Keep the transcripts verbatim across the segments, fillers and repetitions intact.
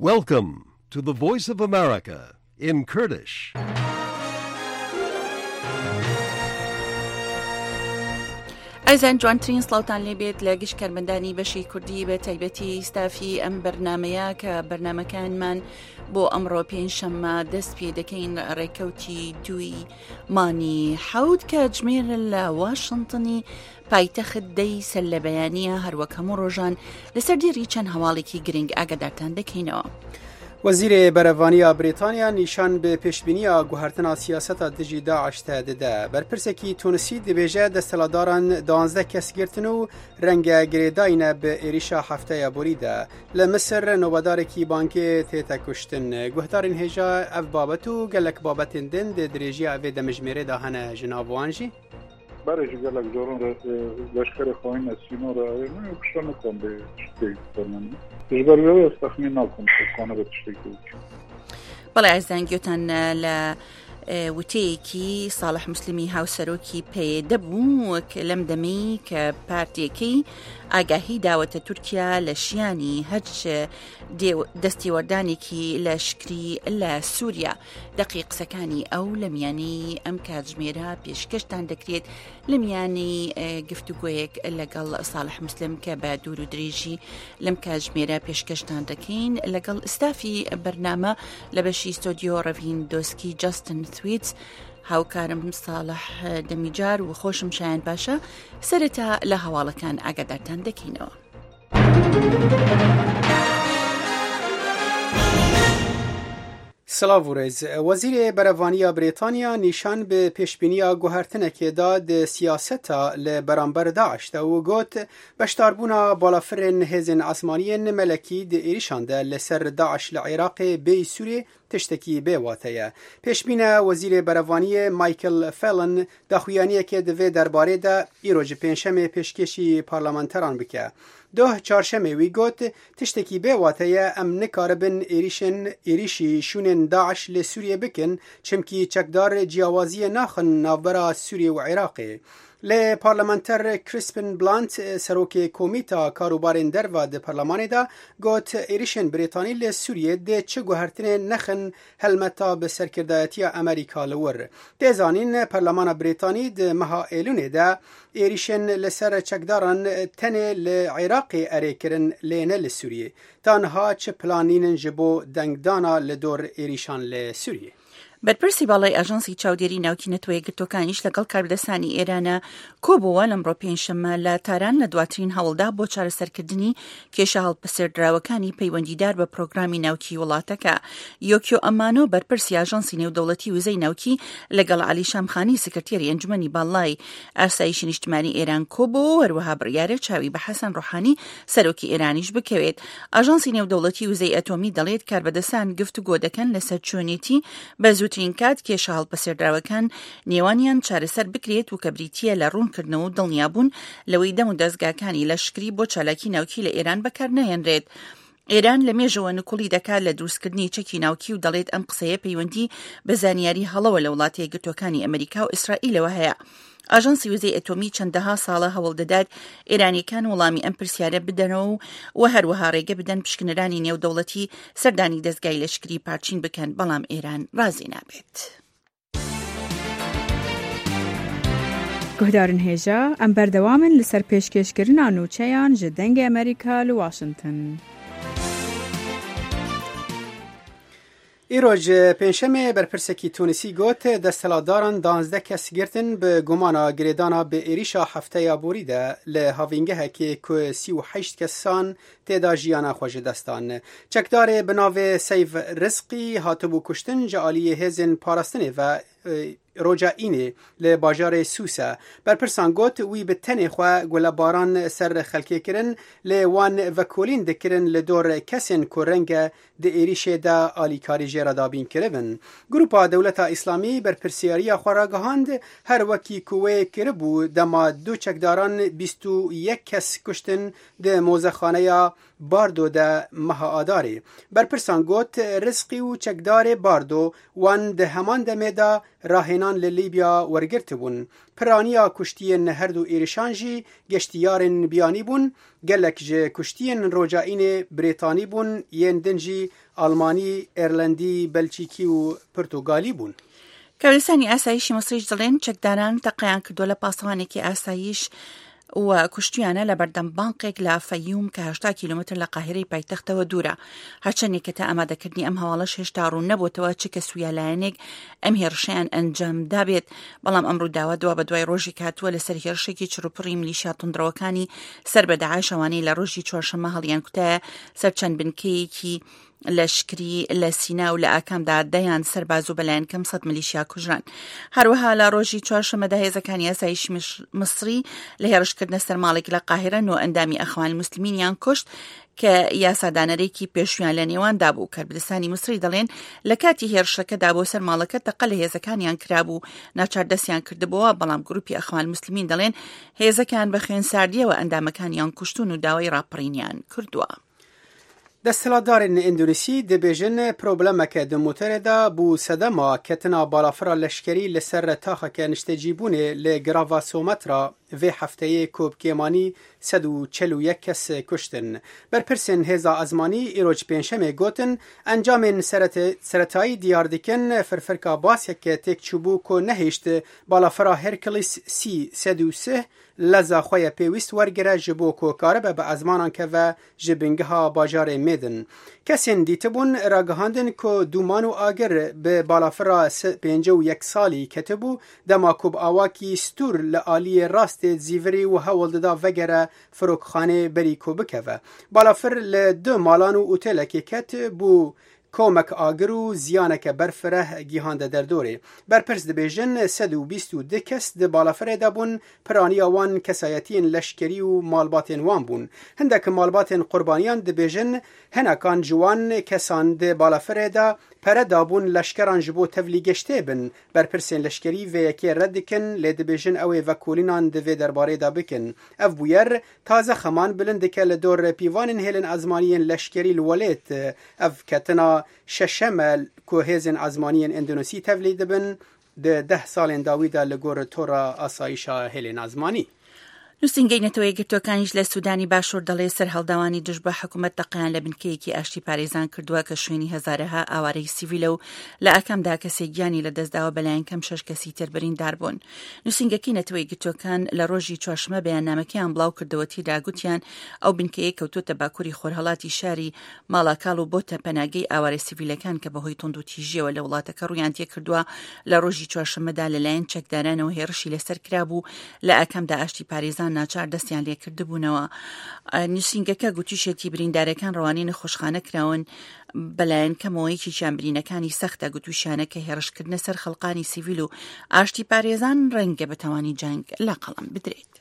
Welcome to the Voice of America in Kurdish. ئەزان جوانترین سڵاوتان لێ بێت لە گشت کارمەندانی بەشی کوردی، بە تایبەتی ستافی ئەم بەرنمەیە، کە بەرنمەکانمان بۆ ئەمڕۆ پێنجشەممە دەست پێ دەکەین. ڕێکەوتی دووی مانی حەوت کە جمێر لە واشنتنی پایتەخت دەی سەر لە بەیانە، هەروەک هەموو ڕۆژان لەسەر دیێڕی چەند هەواڵێکی گرنگ ئاگادارتان دەکەینەوە. وەزیرێ بەرەڤانیا بریتانیا نیشان بە پێشبینیە گوهرتنا سیاسەتا دژی داعش تە دەدە. بەرپرسێکی تونسی دەبێژە دەستەلاداران دوانزدە کەس گرتن و ڕەنگە گرێداینە بە ئێریشا هەفتەیە بوریدە. لە مصر نۆبەدارێکی بانکێ تێتە کوشتن. گوهدارین هێژا ئەف بابەت و گەلک بابەتێن دن دە درێژیە ئەڤێ دەمژمێرێدا هەنە ژناوان ژی. Berê ji gelek caran re, e, leşkerê xayîn ez sînor re ayê min û kişte nikan bê tiştê fermendî. Ji ber wê ez texmîn nakim ku kane be tiştekî bike. بەڵێ ئازان گوتان لە، ئێ، وتەیەکی ساڵح مسلمی هاوسەرۆکی پەیەدە بوو، کە لەم دەمەی کە پارتیەکەی ئاگاهی داوەتە تورکیا لە شیانی هەرچ دێو-، دەستێوەردانێکی لە شکری لە سووریا. دەقی قسەکانی ئەو لە میانەی ئەم کاتژمێرە پێشکەشتان دەکرێت، لە میانەی، ئێ، گفتوگۆیەک لەگەڵ ساڵح مسلم کە بە دوور و درێژی لەم کاتژمێرە پێشکەشتان دەکەین لەگەڵ ستافی بەرنامە لە بەشی ستۆدیۆ ڕەڤین دۆسکی جاستن ثویتس، هاوکارم ساڵح دەمیجار و خۆشم شایان باشە. سەرەتا لە هەواڵەکان ئاگادارتان دەکەینەوە. سلااو و رێز. وەزیرێ بەرەڤانیا بریتانیا نیشان بە پێشبینیە گوهرتنەکێدا دە سیاسەتا لە بەرامبەر داعشدا و گوت، بەشداربوونا بالافرێن هێزێن ئاسمانیێن مەلەکی دە ئێریشان دە لەسەر داعش لە عێراقێ بێی سوورێ تشتێکی بێ واتەیە. پێشبینە وەزیرێ بەرەڤانیە مایکل فێلن داخویانیەکێ دەڤێ دەربارەیدا ئیرۆ ji pênşemê pêşkêşî parlamenteran bike. Doh çarşemê wî got, tiştekî bê wate ye, em nikaribin êrîşên, êrîşî şûnên DAIŞ li Sûriyê bikin, çimkî çekdar ciyawaziyê naxin navbera Sûriyê û Iraqê. Lê parlamenter Crispin Blunt, serokê Komîta Karûbarên Derve di Parlemanê de, got, êrîşên Brîtanî li Sûriyê dê çi guhertinê nexin helmeta bi serkirdayetiya Amerîka li wir. Tê zanîn, Parlemana Brîtanî di meha Êlûnê de êrîşên li ser çekdaran tenê li Iraqê erê kirin, lê ne li Sûriyê. Ta niha çi plan nînin ji bo dengdana li dor êrîşan li Sûriyê? بەرپرسی باڵای ئاژانسی چاودێری ناوکی نەتەوە یەکگرتوەکانیش لەگەڵ کاربەدەستانی ئێرانە کۆبووە لەمڕۆ پێنجشەممە لە تاران لە دواترین هەوڵدا بۆ چارەسەرکردنی کێشە هەڵپەسێردراوەکانی پەیوەندیدار بە پرۆگرامی ناوکی وڵاتەکە. یۆکیۆ ئەمانۆ، بەرپرسی ئاژانسی نێودەوڵەتی وزەی ناوکی، لەگەڵ عەلی شامخانی، سکرتێری ئەنجومەنی باڵای ئاسایشی نیشتمانی ئێران کۆبوو، هەروەها بڕیارە چاوی بە حەسەن ڕۆحانی، سەرۆکی ئێرانیش بکەوێت. ئاژانسی نێودەوڵەتی وزەی ئەتۆمی دەڵێت کاربەدەستان گفتوگۆ دەکەن لەسەر چۆنێتی بە زووترین کات کێشە هەڵپەسێردراوەکان نێوانیان چارەسەر بکرێت و کە بریتیە لە ڕوونکردنەوە و دڵنیابوون لەوەی دەم و دەستگاکانی لەشکری بۆ چالاکی ناوکی لە ئێران بەکار نەهێنرێت. ئێران لە مێژەوە نکوڵی دەکات لە دروستکردنی چەکی ناوکی و دەڵێت ئەم قسەیە پەیوەندی بە زانیاری هەڵەوە لە وڵاتە یەکگرتوەکانی ئەمریکا و ئیسرائیلەوە هەیە. ئاژانسی وزەی ئەتۆمی چەندەها ساڵە هەوڵ دەدات ئێرانیەکان وەڵامی ئەم پرسیارە بدەنەوە و، و هەروەها ڕێگە بدەن پشکنەرانی نێودەوڵەتی سەردانی دەستگای لەشکری پارچین بکەن، بەڵام ئێران ڕازی نابێت. Guhdarên hêja, em berdewam in li ser pêşkêşkirina nûçeyan ji Dengê Amerîka li Washington. Îroj pênşemê berpirsekî Tûnisî got, desthilatdaran duwazdeh kes girtin bi gumana girêdana bi êrîşa hefteya borî de li havîngehekê ku sî û heşt kesan tê de jiyana xwe ji dest dan. Çekdarê bi navê Seyf Rizqî hatibû kuştin ji aliyê hêzên parastinê ve, e, roja Înê li bajarê Sûse. Berpirsan got, wî bi tenê xwe gulebaran ser xelkê kirin, lê wan vekolîn dikirin li dor kesên ku renge di êrîşê de alîkarî jê re dabîn kiribin. Grupa Dewleta Îslamî berpirsiyariya xwe ragihand, her wekî ku wê kiribû, dema du çekdaran bîst û yek kes kuştin di mozexaneya Bardo de meha Adarê. Berpirsan got, Rizqî û çekdarê Bardo wan di heman demê de rahênan li Lîbya wergirtibûn. Piraniya kuştiyên her du êrişan jî geştiyarên biyanî bûn. Gelek ji kuştiyên roja înê Brêtanî bûn, yên din jî Almanî, Îrlandî, Belçîkî û Pirtugalî bûn. کەوێسانی ئاسایشی مەسریش دەڵێن چەکداران تەقەیان کردووە لە پاسەوانێکی ئاسایش و کوشتویانە لە بەردەم بانقێک لە فەیوم کە هەشتا کیلومتر لە قاهرەی پایتەختەوە دوورە. هەرچەندێک کە تا ئامادەکردنی ئەم هەواڵەش هێشتا ڕوون نەبووتەوە چ کەس و یا لایەنێک ئەم هێرشەیان ئەنجام دابێت، بەڵام ئەم ڕووداوە دوا بە دوای ڕۆژی کاتووە لەسەر هێرشێکی چڕوپڕی ملیشیا تونندڕەوەکانی سەر بە داعش، ئەوانەی لە ڕۆژی چوارشەممە هەڵیان کوتایە سەر چەند بنکەیەکی لەشکری لە سینا و لە ئاکامدا دەیان سەرباز و بەلایەن کەم سەد ملیشیا کوژران. هەروەها لە ڕۆژی چوارشەممەدا هێزەکانی ئاسایشی مش-، مصری لە هێرشکردنە سەر ماڵێک لە قاهرە نۆ ئەندامی ئەخوان المسلمینیان کوشت کە یاسادانەرێکی پێشویان لە نێواندا بوو. کەربدستانی مصری دەڵێن لە کاتی هێرشەکەدا بۆ سەر ماڵەکە تەقە لە هێزەکانیان کرابوو، ناچار دەستیان کردبووە، بەڵام گروپی ئەخوان المسلمین دەڵێن هێزەکان بە خوێن ساردیەوە ئەندامەکانیان کوشتون و داوای ڕاپەڕینیان کردووە. دەستهەڵاتدارên ئیندۆنیسی دەبێژن پرۆبلەمەکە di motorê de bû sedema ketina balafira leşkerî li ser taxeke niştecîbûnê li Girava Somatra vê hefteyê ku bi kêmanî sed û çel û yek kes kuştin. Berpirsên hêza ezmanî îroj pêncşemê gotin, encamên serete-, seretayî diyar dikin firfirka baseke têk çûbû ku nehişt balafira Hercules C sed û sih leza xwe ye pêwîst wergire ji bo ku karibe bi ezmanan keve ji bingeha bajarê Mêdin. Kesên dîtibûn ragihandin ku dûman û agir bi balafira se-, pêncî û yek salî ketibû, dema ku bi awakî stûr li aliyê rastê zîvirî û hewl dida vegere firokxanê berî ku bikeve. Balafir li du malan û otelekê ket, bû komek agir û ziyaneke berfireh gihande derdorê. Berpirs dibêjin, sed û bîst û du kes di balafirê de bûn, piraniya wan kesayetiyên leşkerî û malbatên wan bûn. Hindek malbatên qurbaniyan dibêjin, hinekan ji wan kesan di balafirê de pere dabûn leşkeran ji bo tevlî geştê bin. Berpirsên leşkerî vê yekê red dikin, lê dibêjin ew ê vekolînan di vê derbarê de bikin. Ev bûyer taze xeman bilind dike li dor pîvanên hêlên ezmaniyên leşkerî li welêt. Ev ketina şeşem e ku hêzên ezmaniyên Endonîsî tevlî dibin di deh salên dawî de li gor tora asayişa hêlên ezmanî. نووسینگەی نەتەوە یەکگرتووەکانیش لە سوودانی باشوور دەڵێ سەرهەڵداوانی دژ بە حکوومەت تەقەیان لە بنکەیەکی ئاشتی پارێزان کردووە کە شوێنی هەزارەها ئاوارەی سیڤیلە و لە ئاکامدا کەسێک گیانی لەدەستداوە، بەلایەن کەم شەش کەسی تر بریندار بوون. نووسینگەکەی نەتەوە یەکگرتووەکان لە ڕۆژی چوارشەممە بەیاننامەکەیان بڵاو کردەوە، تێدا گوتیان ئەو بنکەیە کەوتووەتە باکووری خۆرهەڵاتی شاری ماڵاکاڵ و بۆتە پەناگەی ئاوارە سیڤیلەکان کە بەهۆی توند و تیژیەوە لە وڵاتەکە ڕوویان تێکردووە. لە ڕۆژی چوارشەممەدا لەلایەن چەکدارانەوە هێرشی لەسەر کرابوو، لە ئاکامدا ئاشتی پارێزان ناچار دەستیان لێکردبوونەوە. نووسینگەکە گوتیشێتی بریندارەکان ڕەوانەی نەخۆشخانە کراون، بەلایەن کەمەوەیەکی چیان برینەکانی سەختە. گوتوشیانە کە هێرشکردنە سەر خەڵقانی سیڤیل و ئاشتی پارێزان ڕەنگە بەتەوانی جەنگ لە قەڵەم بدرێت.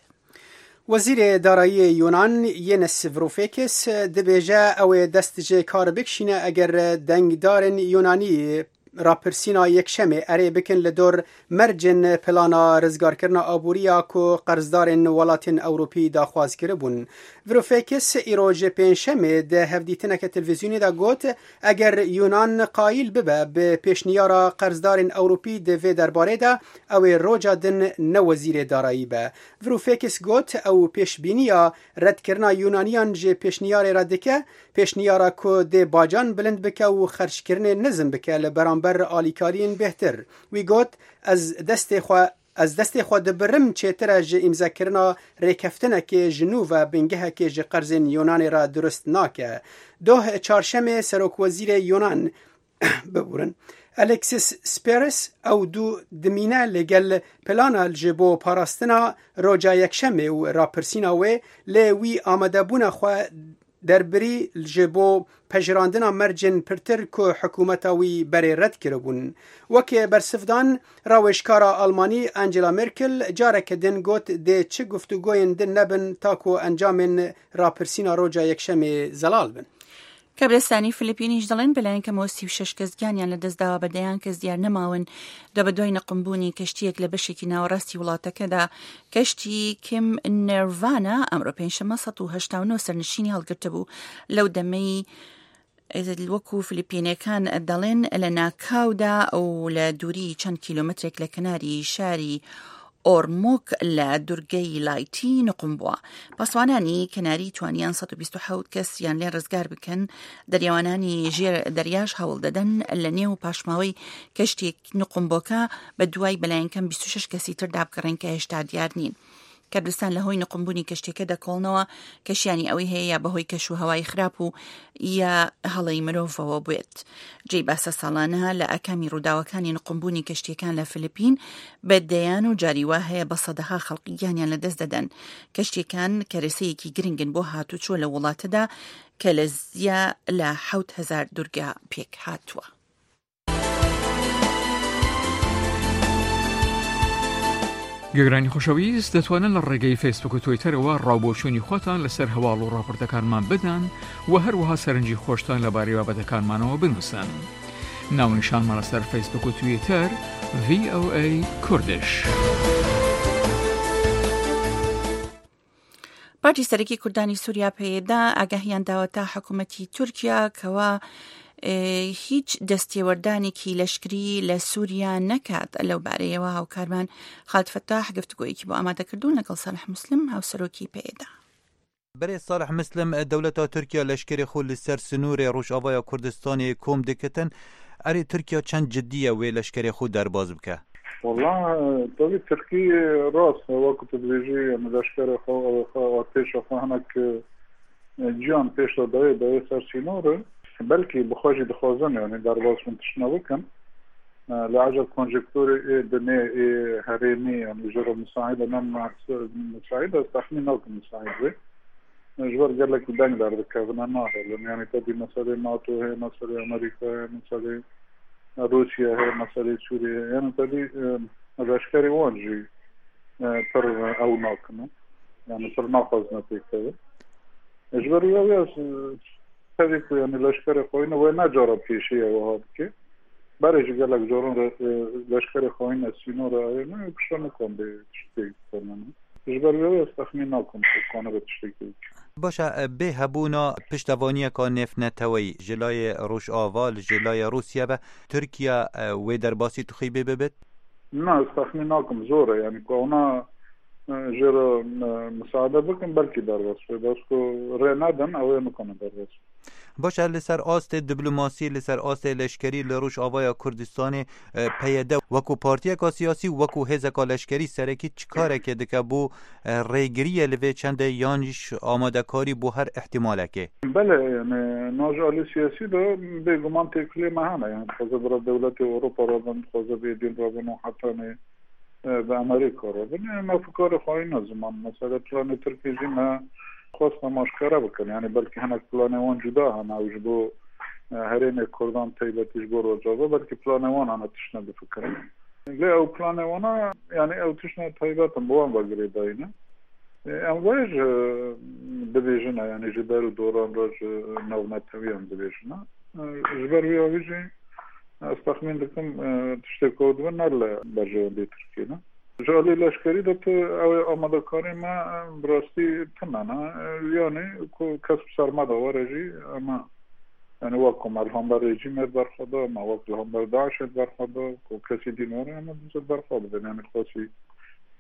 Wezîrê Darayiyê Yunan Yanis Varoufakis dibêje ew ê dest ji kar bikişîne eger dengdarên Yunanî rapirsîna yekşemê erê bikin li dor mercên plana rizgarkirina aboriya ku qerzdarên welatên Ewropî daxwaz kiribûn. Varoufakis îro ji pêncşemê di hevdîtineke televîzyonî de got, eger Yunan qayîl bibe bi pêşniyara qerzdarên Ewropî di vê derbarê de, ew ê roja din ne wezîrê darayî be. Varoufakis got, ew pêşbîniya redkirina Yunaniyan ji pêşniyarê re dike, pêşniyara ku dê bacan bilind bike û xerckirinê nizm bike li beramber alîkariyên bêhtir. Wî got, ez destê xwe, ez destê xwe dibirim, çêtir e ji îmzekirina rêkeftinekê ji nû ve bingehekê ji qerzên Yunanê re dirust nake. Doh çarşemê serokwezîrê Yunan biborin. Alexis Tsipras ew dû dimîne li gel plana ji bo parastina roja yekşemê û rapirsîna wê, lê wî amadebûna xwe derbirî ji bo pejirandina mercên pirtir ku hikûmeta wî berê red kiribûn. Weke bersivdan, rawêjkara Almanî Angela Merkel careke din got, dê çi guftûgoyên din nebin ta ku encamên rapirsîna roja yekşemê zelal bin. کەبرستانی فلیپینیش دەڵێن بەلایەن کەمەوە سی و شەش کەس گیانیان لەدەستداوە، بە دەیان کەس دیار نەماون. دو بە دوای نەقمبوونی کەشتیەک لە بەشێکی ناوەڕاستی وڵاتەکەدا، کەشتی کیم نێرڤانا ئەمڕۆ پێنجشەممە سەد و هەشتا و نۆ سەرنشینی هەڵگرتبوو. لەو دەمەی وەکو فلیپینەکان دەڵێن لە ناکاودا و لە دووری چەند کیلۆمەترێک لە کەناری شاری ئۆرموک لە دورگەی لایتی نقم بووە. پاسوانانی کەناری توانیان سەد و بیست و حەوت کەس یان لێ ڕزگار بکەن. دەریاوانانی ژێر دەریاش هەوڵ دەدەن لە نێو پاشماوەی کەشتێک نقمبۆکە بە دوای بەلایەن کەم بیست و شەش کەسی تر دابگەڕێن کە هێشتا دیار نین. کەبرستان لە هۆی نقمبوونی کەشتێکە دەکۆڵنەوە، کەشیانی ئەوەی هەیە یا بەهۆی کەش و هەوای خراپ و یا هەڵەی مرۆڤەوە بێت. جێی باسە ساڵانە لە ئاکامی ڕووداوەکانی نقمبوونی کەشتیەکان لە فلیپین بە دەیان و جاری وا هەیە بە سەدەها خەڵقی گیانیان لەدەست دەدەن. کەشتیەکان کەرەسەیەکی گرنگن بۆ هاتوچۆ لە وڵاتەدا کە لە زیا لە حەوت هەزار دورگە پێک هاتووە. گوێگرانی خۆشەویست، دەتوانن لە ڕێگەی فەیسبوک و تویتەرەوە ڕاوبۆچوونی خۆتان لەسەر هەواڵ و ڕاپۆرتەکانمان بدەن و هەروەها سەرنجی خۆشتان لەبارەی بابەتەکانمانەوە بنووسن. ناونیشانمان لەسەر فەیسبوک و تویتەر، ڤی ئۆ ئەی کوردش. پارتی سەرەکی کوردانی سووریا، پەیەدا، ئاگاهیان داوەتە حکوومەتی تورکیا کەوا هیچ دەستێوەردانێکی لەشکری لە سووریا نەکات. لەو بارەیەوە هاوکارمان خالد فەتاح گفتوگۆیەکی بۆ ئامادە کردوون لەگەڵ ساڵح مسلم، هاوسەرۆکی پەیەدا. Berê Salih Muslim, dewleta Tirkiye leşkerê xwe li ser sinûrê Rojavaya Kurdistanê kom dikitin. Erê Tirkiye çend cidî ye wê leşkerê xwe derbas bike? Wala, tevî Tirkî rast e, wek tu dibêjî, em leşkerê xwe, ew xwe, artêşa xwe hinek, e, ciyan pêş de dayê, dayê ser sînor e. Belkî bi xwe jî dixwazin, yanî derbas bin tiştine bikin. E, li ecel konjekturê ê dinê, ê herêmî, yanî ji re misaîd e, ne misaîd e, ez texmîn nakim misaîd be. Ji ber gelekî deng derdikevine, nahêlin. Yanî tevî meselê NATO heye, meselê Amerîka heye, meselê Rûsya heye, meselê Sûriyê heye. Yanî tevî, e, leşkerê wan jî, e, pir ew nakin. Yanî pir naxwazine pêk kevin. Ji ber wî ew ya, e, tevî ku, yanî leşkerê xweyne wê ne cara pêşî ye wiha dike. Berê jî gelek caran re, e, leşkerê xweyne sînora heye, ne, pişta nikan bê tiştê bikene. Ji ber wê ez texmîn nakim ku kanibe tiştekî bike. Baş e, bê hebûna piştevaniyeka nêvneteweyî ji layê Rojava, li ji layê Rûsya ve, Tirkiye, e, wê derbasî tixîbê bibit? Na, ez texmîn nakim, zor e, yanî ku ewna, e, jê re, e, misaade bikin, belkî derbas be. Bes ku rê nedin, ew ê nikane derbas be. Baş e, li ser astê diplomasî, li ser astê leşkerî li Rojavaya Kurdistanê, e, P Y D wekû partiyeka siyasî, wekû hêzeka leşkerî serekî çi karekê dike bo, e, rêgiriyê li vê çendê yan jî amadekarî bo her îhtîmalekê? Belê, yanî, na ji alî siyasî de bêguman têkiliyê me hene. Yanî, dixwaze bira dewletê Ewropa re bin, dixwaze bê dîn re bin û hetanê, e, bi Amerîka re bin. Yanî, me fikarê xwayî ne ziman. Mesela, planê Tirkiyê jî me xwest em aşkere bikin. Yanî, belkî hinek planê wan cuda hene. Ew ji bo, e, herêmê Kurdan, taybetî ji bo Rojava, belkî planê wan hene tiştine bifikirin. Lê ew planê wana, yanî ew tiştine taybet in, bi wan ve girêdayî ne. E, em vê ji dibêjin e, yanî ji der û doran re ji navnetewiyan dibêjin e. E, ji ber wî avî jî ez texmîn dikim, e, tiştê ku dibe ne li berjewendê Tirkiyê ne. Ji alî leşkerî de tu ew ê amadekarê me, e, bi rastî tune ne. E, yanî ku kes bi ser me de were jî, em e Yanî wek ku me li hember rejîmê berxwe da, me wek li hember DAIŞê berxwe da, ku kesî dîn were, em ê dizê berxwe bidin. Yanî xwesî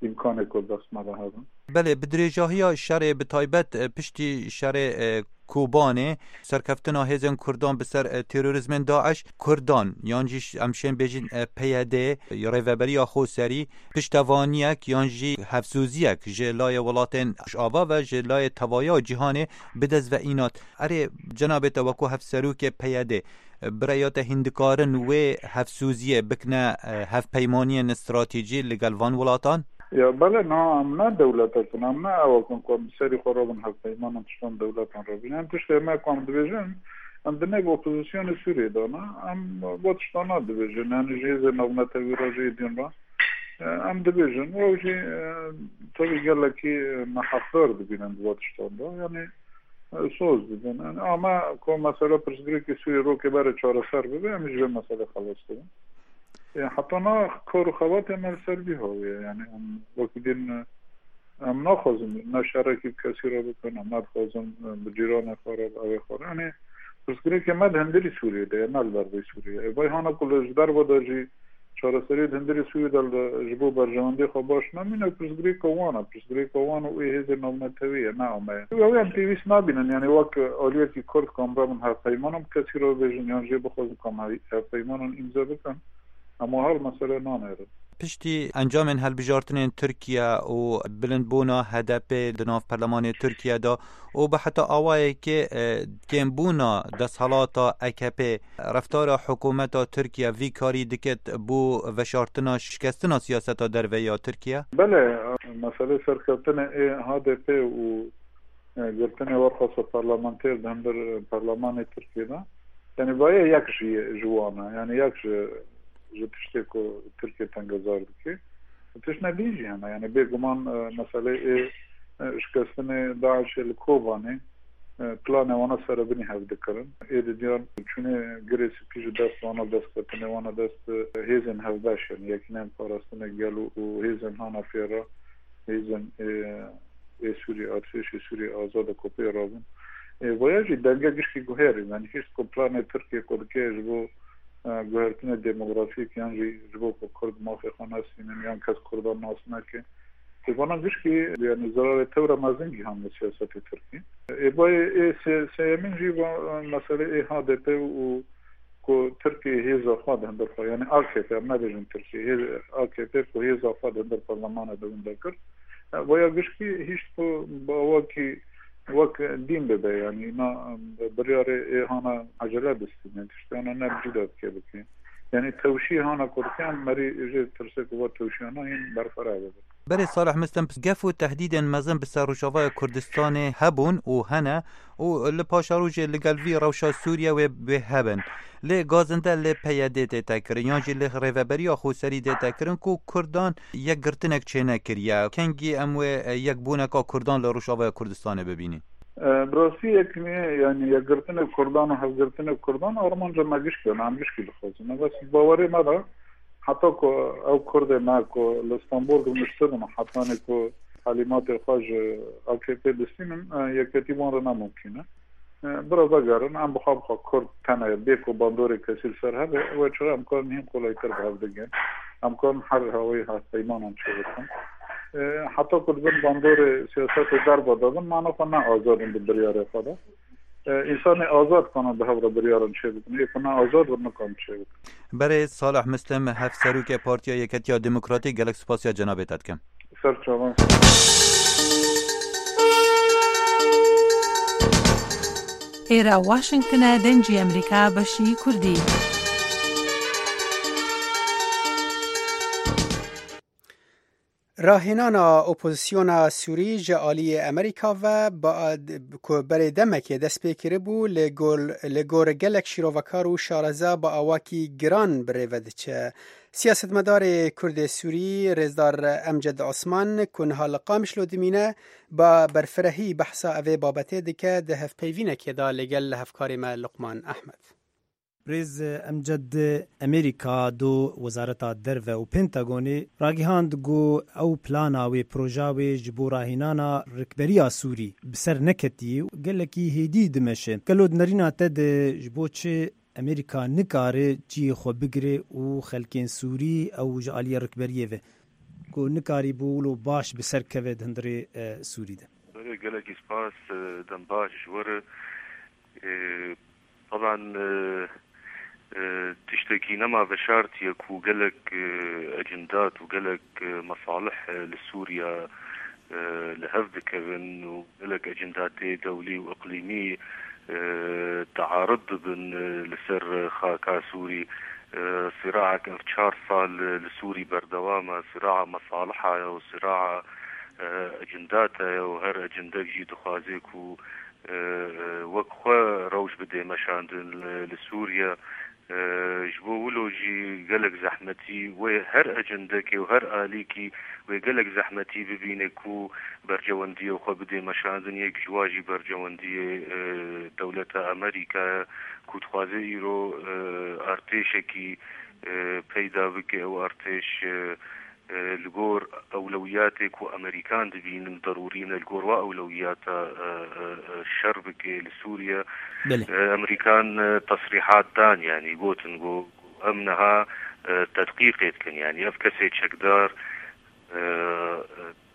îmkanê ku dest me de hebin. Belê, bi dirêjahiya şerê, bi taybet, e, piştî şerê, e, Kobanê, serkeftina hêzên Kurdan bi ser, e, terorîzmên DAIŞ, Kurdan, yan jî ş-, em şên bêjin, e, P Y D, Rêveberiya Xoserî, piştevaniyek yan jî hevsoziyek ji layê welatên Rojava ve ji layê tevaya cîhanê bi dest ve înat. Erê, cenabê te wekû hevserokê P Y D, bi rêya te hîn dikarin wê hevsoziyê bikine, e, hevpeymaniyên stratejî li gel van welatan? Ya belê, na, em ne dewletek in, em ne ewek in ku em bi serî xwe re bin hevpeyman û tiştan dewletan re bin. Em tiştê me ku em dibêjin, em di nêv opozisyonê Sûriyê de ne, em bo tiştana dibêjin. Yanî ji hêzên navnetewî re, ji êdîn re, e, em dibêjin. Ew jî, e, tevî gelekî me heqdar dibînin di bo tiştan de. Yanî e, soz didin. Yani, ama ku mesela pirsgirêkê Sûriyê rokê berê çareser bibe, em jî vê meselê xelas dibin. E, heta na kar û xebatê me li ser vî hawî ye. Yani, em wekî din, e, em naxwazin ne şerekî bi kesî re bikin, em nadixwazin, e, bi cîranê xwe re, bi evê xwe re. Yani, pirsgirêkê me di hundirî Sûriyê de ye, ne li derveyî Sûriyê. E, vay hana ku li ji derve de jî çareseriyê di hundirê Sûriyê de li, ji bo berjewendiyê xwe baş namîne, pirsgirêka wan e, pirsgirêka wan û ê hêzên navnetewî ye, ne ame ye. Ew em pêwîst nabînin, yani wek aliyekî Kurd ku em rabin hevpeymanan bi kesî re bibêjin, yan jê bixwazin ku em he-, hevpeymanan îmze bikin, em wiha li meselê nanêrin. Piştî encamên hilbijartinên Tirkiye û bilindbûna H D P di nav perlemanê Tirkiye de û bi heta awayekê, e, kêmbûna desthilata A K P, reftara hikûmeta Tirkiye vî karî diket bo veşartina şikestina siyaseta derve ya Tirkiye? Belê, meselê serkeftinê ê H D P û, e, girtinê werxasa parlamenter di hundir, e, perlemanê Tirkiye de, yani, vaye yek ji, ji wan e, yani, yek ji, ji tiştê ku Tirkiye tengezar dike. Tiştine din jî hene. Yani, bêguman, e, meselê ê, e, şikestinê DAIŞê li Kobanê, e, planê wana serebinî hev dikirin. Ê didiyan çûnê Girê Spî ji dest wana, destketinê wana dest, e, hêzên hevbeş, yani Yekîneyên Parastinê Gel û, û hêzên hana pê re, hêzên, e, ê Sûriyê, artêşê Sûriyê Azad û Kopê rabûn. E, vaya jî denge gişkî guherî, yani hişt ku planê Tirkiye ku dike ji bo, e, guhertinê demografîk yan jî ji bo ku Kurd mafê xwe nestînin yan kes Kurdan nas neke. Ê vana gişkî, yani, zerarê tewra mezin gihan li siyasetê Tirkî. Ê bayê ê sê-, sêyemîn jî va, e, meselê ê H D P û ku Tirkiye hêza xwe di hundir xwe, yani A K P, em nebêjin Tirkiye, hêz-, A K P ku hêza xwe di hundir parlemanê de winda kir. E, vaya gişkî hişt ku bi awakî wek dîn bibe, yani na, e, biryarê ê hana ecele distîne, tiştana ne bi cî de dike bike. Yani tewşî hana ku dike, em merî jê tirsê ku va tewşiyana hîn berfireh bibe. Berê Salih Muslim, gef û tehdîdên mezin bi ser Rojavaya Kurdistanê hebûn û hene û li paşerojê li gel vî rewşa Sûriye wê, wê hebin. Lê gazinde lê P Y D tête kirin, yan jî lê Rêveberiya Xweserî tête kirin ku Kurdan yekgirtinek çênekiriye. Kengî em wê, e, yekbûneka Kurdan li Rojavaya Kurdistanê bibînî? E, bi rastî yek ne, yani yekgirtinê Kurdan û hevgirtinê Kurdan armanca me gişkî ye, em gişkî dixwazin. Bes bawerê me de heta ku ew Kurdê me ku li Stenbol rûniştibin û hetanê ku helîmatê xwe ji A K P distînin, e, yeketî wan re ne mumkîn e. E, bira vegerin, em bi xwe bi xwe Kurd tene ye, bê ku bandorê kesî li ser hebe, ew çira em karin hîn kolaytir bi hev digin. Em karin her hawayî hevpeymanan çêbikin. E, heta ku di bin bandorê siyasetê derve de bin, mana xwe ne azad in di biryarê xwe de. E, însanê azad kana bi hev re biryaran çêbikin. Ê ku ne azad bin, nikarin çêbikin. Berê Salih Muslim, Hevserokê Partiya Yeketiya Demokratîk, gelek spasiya cenabê te dikim. Ser çavan. Êra Washington e, Dengê Amerîka, beşî Kurdî. Rahênana opozisyona Sûrî ji aliyê Amerîka ve ba-, ku berê demekê dest pê kiribû, li gor, li gor gelek şîrovekar û şareza bi awakî giran bi rê ve diçe. Siyasetmedarê Kurdê Sûrî, Rêzdar Emced Osman, ku niha li Qamişlo dimîne, ba berfirehî behsa evê babetê dike di hevpeyvînekê de li gel hevkarê me Luqman Ehmed. Rêz Emced, Amerîka do Wezareta Derve û Pentagonê ragihand ku ew plana wê, proja wê ji bo rahînana rikberiya Sûrî bi ser neketî û gelekî hêdî dimeşe. Gelo di nerîna te de ji bo çi Amerîka nikare cihê xwe bigire û xelkên Sûrî ew ji aliyê rikberiyê ve ku nikarîbû wilo baş bi ser keve di hundirê, e, Sûrî de. Belê, gelekî spas, e, dem baş ji we re. E, taban, e, e, tiştekî nema veşartiye ku gelek, e, ecindat û gelek, e, mesalih, e, li Sûriye, e, li hev dikevin û gelek ecindatê dewlî û iqlîmî, e, tearud dibin, e, li ser xaka Sûrî. E, siraek ev çar sal, e, li Sûrî berdewam e, siraa mesaliha ye û siraa, e, ecindata ye û her ecindek jî dixwaze ku, e, e, wek xwe rewş bidê meşandin li, li Sûriye. Ji bo wilo jî gelek zehmetî wê her ecendekê û her alîkî wê gelek zehmetî bibîne ku bercewendiyê xwe bidê meşandin, yek ji wa jî bercewendiyê dewleta Amerîka ye ku dixwaze îro artêşekî peyda bike. Ew artêş li gor ewlewiyatê ku Amerîkan dibînin derûrî ne, li gor wa ewlewiyata şer bike li Sûriye. Belê. Amerîkan tesrîhat dan, yanî gotin ku em niha tedqîqê dikin, yanî ev kesê çekdar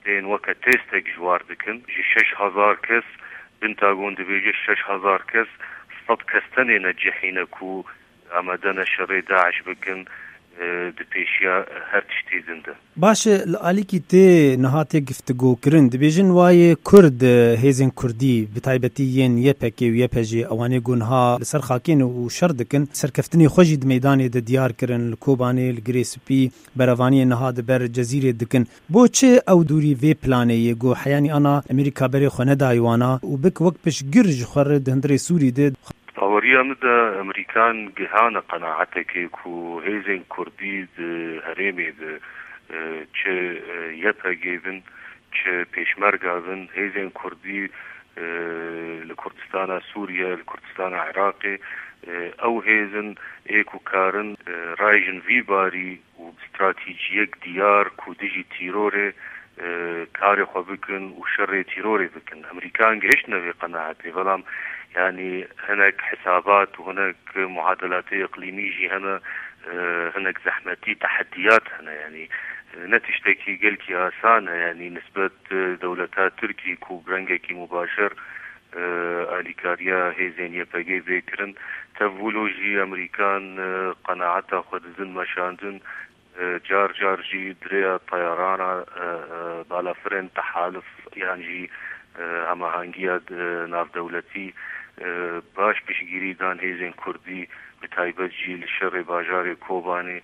tên weke têstek ji war dikin. Ji şeş hezar kes, Pentagon dibêje şeş hezar kes, sed kes tenê ne cihî ne ku amade ne şerê DAIŞ bikin, e, di pêşiya her tiştê din de. Baş e, li alîkî tê niha tê giftigokirin. Dibêjin wayê Kurd, e, hêzên Kurdî, bi taybetî yên Y P G û Y P G, ewanê ku niha li ser xakê ne û şer dikin, serkeftinê xwe jî di meydanê de diyar kirin, li Kobanê, li Girê Spî, berevaniyê niha di ber Cezîrê dikin. Bo çi ew dûrî vê planê yê ku heyanî ana Amerîka berê xwe nedayê wana û bik wek piştgir ji xwe re di hundirê Sûrî de? Baweriya min de Amerîkan gihane qenaetekê ku hêzên Kurdî di herêmê de, e, çi, e, Y P G bin, çi Pêşmerga bin, hêzên Kurdî, e, li Kurdistana Sûriye, li Kurdistana Iraqê, e, ew hêzin ê ku karin, e, rayjin vî barî û bi stratejiyek diyar ku dijî tîrorê, e, karê xwe bikin û şerê tîrorê bikin. Amerîkan gihiştine vê qenaetê, belam, yanî, hinek hesabat û hinek muadelatê iqlîmî jî hene, e, hinek zehmetî, tehediyat hene, yanî, e, ne tiştekî gelkî asan e, yanî, nisbet, e, dewleta Tirkî ku bi rengekî mubaşer, e, alîkariya hêzên Y P G bê kirin. Tev wilo jî Amerîkan, e, qenaeta xwe didin meşandin, e, car car jî di rêya teyarana, e, e, balafirên tehalif yan jî, e, hemahengiya, e, navdewletî, e, baş piştgirî dan hêzên Kurdî, bi taybet jî li şerê bajarê Kobanê,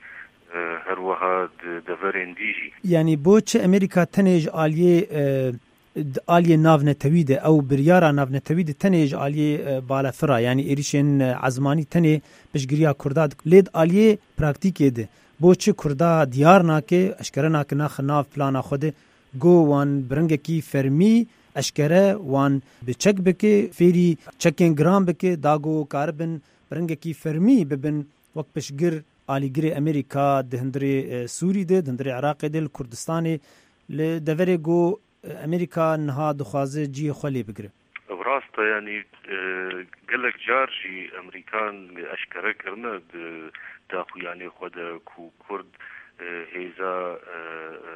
e, her wiha di deverên dî jî. Yanî bo çi Amerîka tenê ji aliyê, e, di aliyê navnetewî de, ew biryara navnetewî de tenê ji aliyê, e, balafira, yanî êrîşên, e, ezmanî tenê piştgiriya Kurda dik-, lê di aliyê praktîkê de bo çi Kurda diyar nake, eşkere nake naxe nav plana xwe de, go wan bi rengekî fermî eşkere wan bi çek bike, fêrî çekên giran bike, da go karibin bi rengekî fermî bibin wek piştgir alîgirê Amerîka di hundirê, e, Sûrî de, di hundirê Iraqê de, li Kurdistanê, li deverê go, e, Amerîka niha dixwaze cihê xwe lê bigire. Ev rast e, yanî, e, gelek car jî Amerîkan eşkere kirine di daxuyanê xwe de ku Kurd, e, hêza, e, e,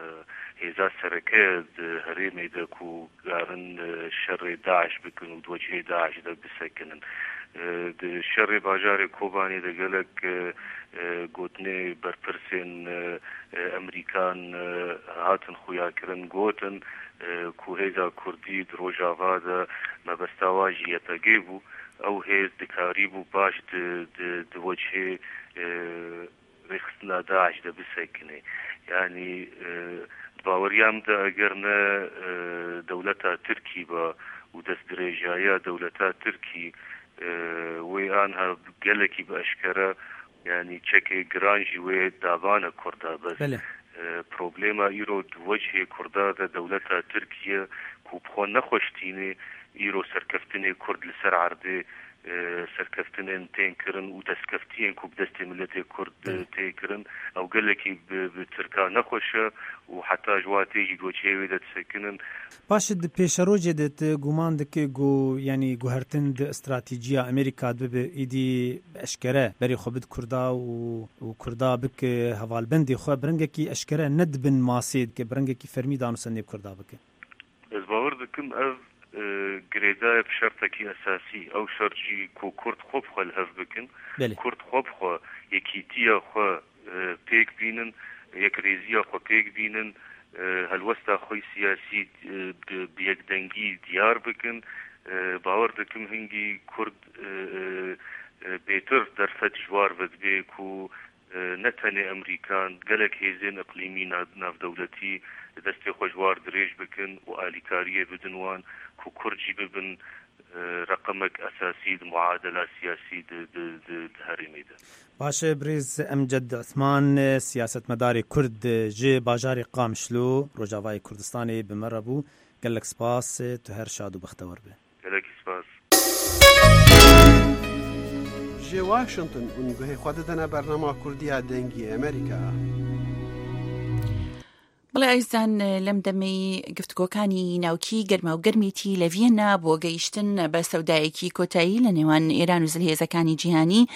hêza sereke di herêmê de ku karin, e, şerê DAIŞ bikin û di wecihê DAIŞ de bisekinin. E, di şerê bajarê Kobanê de gelek, e, e, gotinê berpirsên, e, e, Amerîkan, e, hatin xuyakirin, gotin, e, ku hêza Kurdî di Rojava de mebesta wa jî Y P G bû. Ew hêz dikarîbû baş di, di, di wecihê, e, rêxistina DAIŞ de bisekine. Yanî, e, di baweriya min de eger ne, e, dewleta Tirkî be û destdirêjaya dewleta Tirkî, e, wê anha gelekî bi eşkere, yanî çekê giran jî wê dabane Kurda bes. Belê. E, problema îro di wecihê Kurda de dewleta Tirkiye ku bi xwe nexweştîne îro serkeftinê Kurd li ser erdê, e, serkeftinên tên kirin û destkeftiyên ku bi destê miletê Kurd, e, Belê. tê kirin, ew gelekî bi, bi Tirka nexweş e û heta ji wa tê jî di wecihê wê de disekinin. Paşê di pêşerojê de tu guman dike ku, yanî guhertin di stratejiya Amerîka de bibe, êdî eşkere berê xwe bid Kurda û, û Kurda bike hevalbendê xwe, bi rengekî eşkere ne di bin masê dike, bi rengekî fermî danûsendê bi Kurda bike? Ez bawer dikim ev, e, girêdaye bi şertekî esasî. Ew şert jî ku Kurd xwe bi xwe li hev bikin, Belê. Kurd xwe bi xwe, yekîtiya xwe, e, pêk bînin, yekrêziya xwe pêk bînin, e, helwesta xwe siyasî, e, bi, bi yekdengî diyar bikin. E, bawer dikim hingî Kurd, e, e, e, bêtir derfet ji war vedibe ku, e, ne tenê Amerîkan, gelek hêzên iqlîmî na-, navdewletî destê xwe ji war dirêj bikin û alîkariyê bidin wan ku Kurd jî bibin, e, reqemek esasî di muadela siyasî di, di, di, herêmê de. Baş e, birêz Emced Osman, siyasetmedarê Kurd ji bajarê Qamişlo, Rojavayê Kurdistanê bi me re bû. Gelek spas, tu her şad û bextewar be. Gelek spas. Ji Washington hûn guhê xwe didine bernama Kurdiya Dengê Amerîka. بەڵێ ئازیزان، لەم دەمەی گفتوگۆکانی ناوکی گەرما و گەرمێتی لە ڤیەننا بۆ گەیشتن بە سەودایەکی کۆتایی لە نێوان ئێران و زلهێزەکانی جیهانی،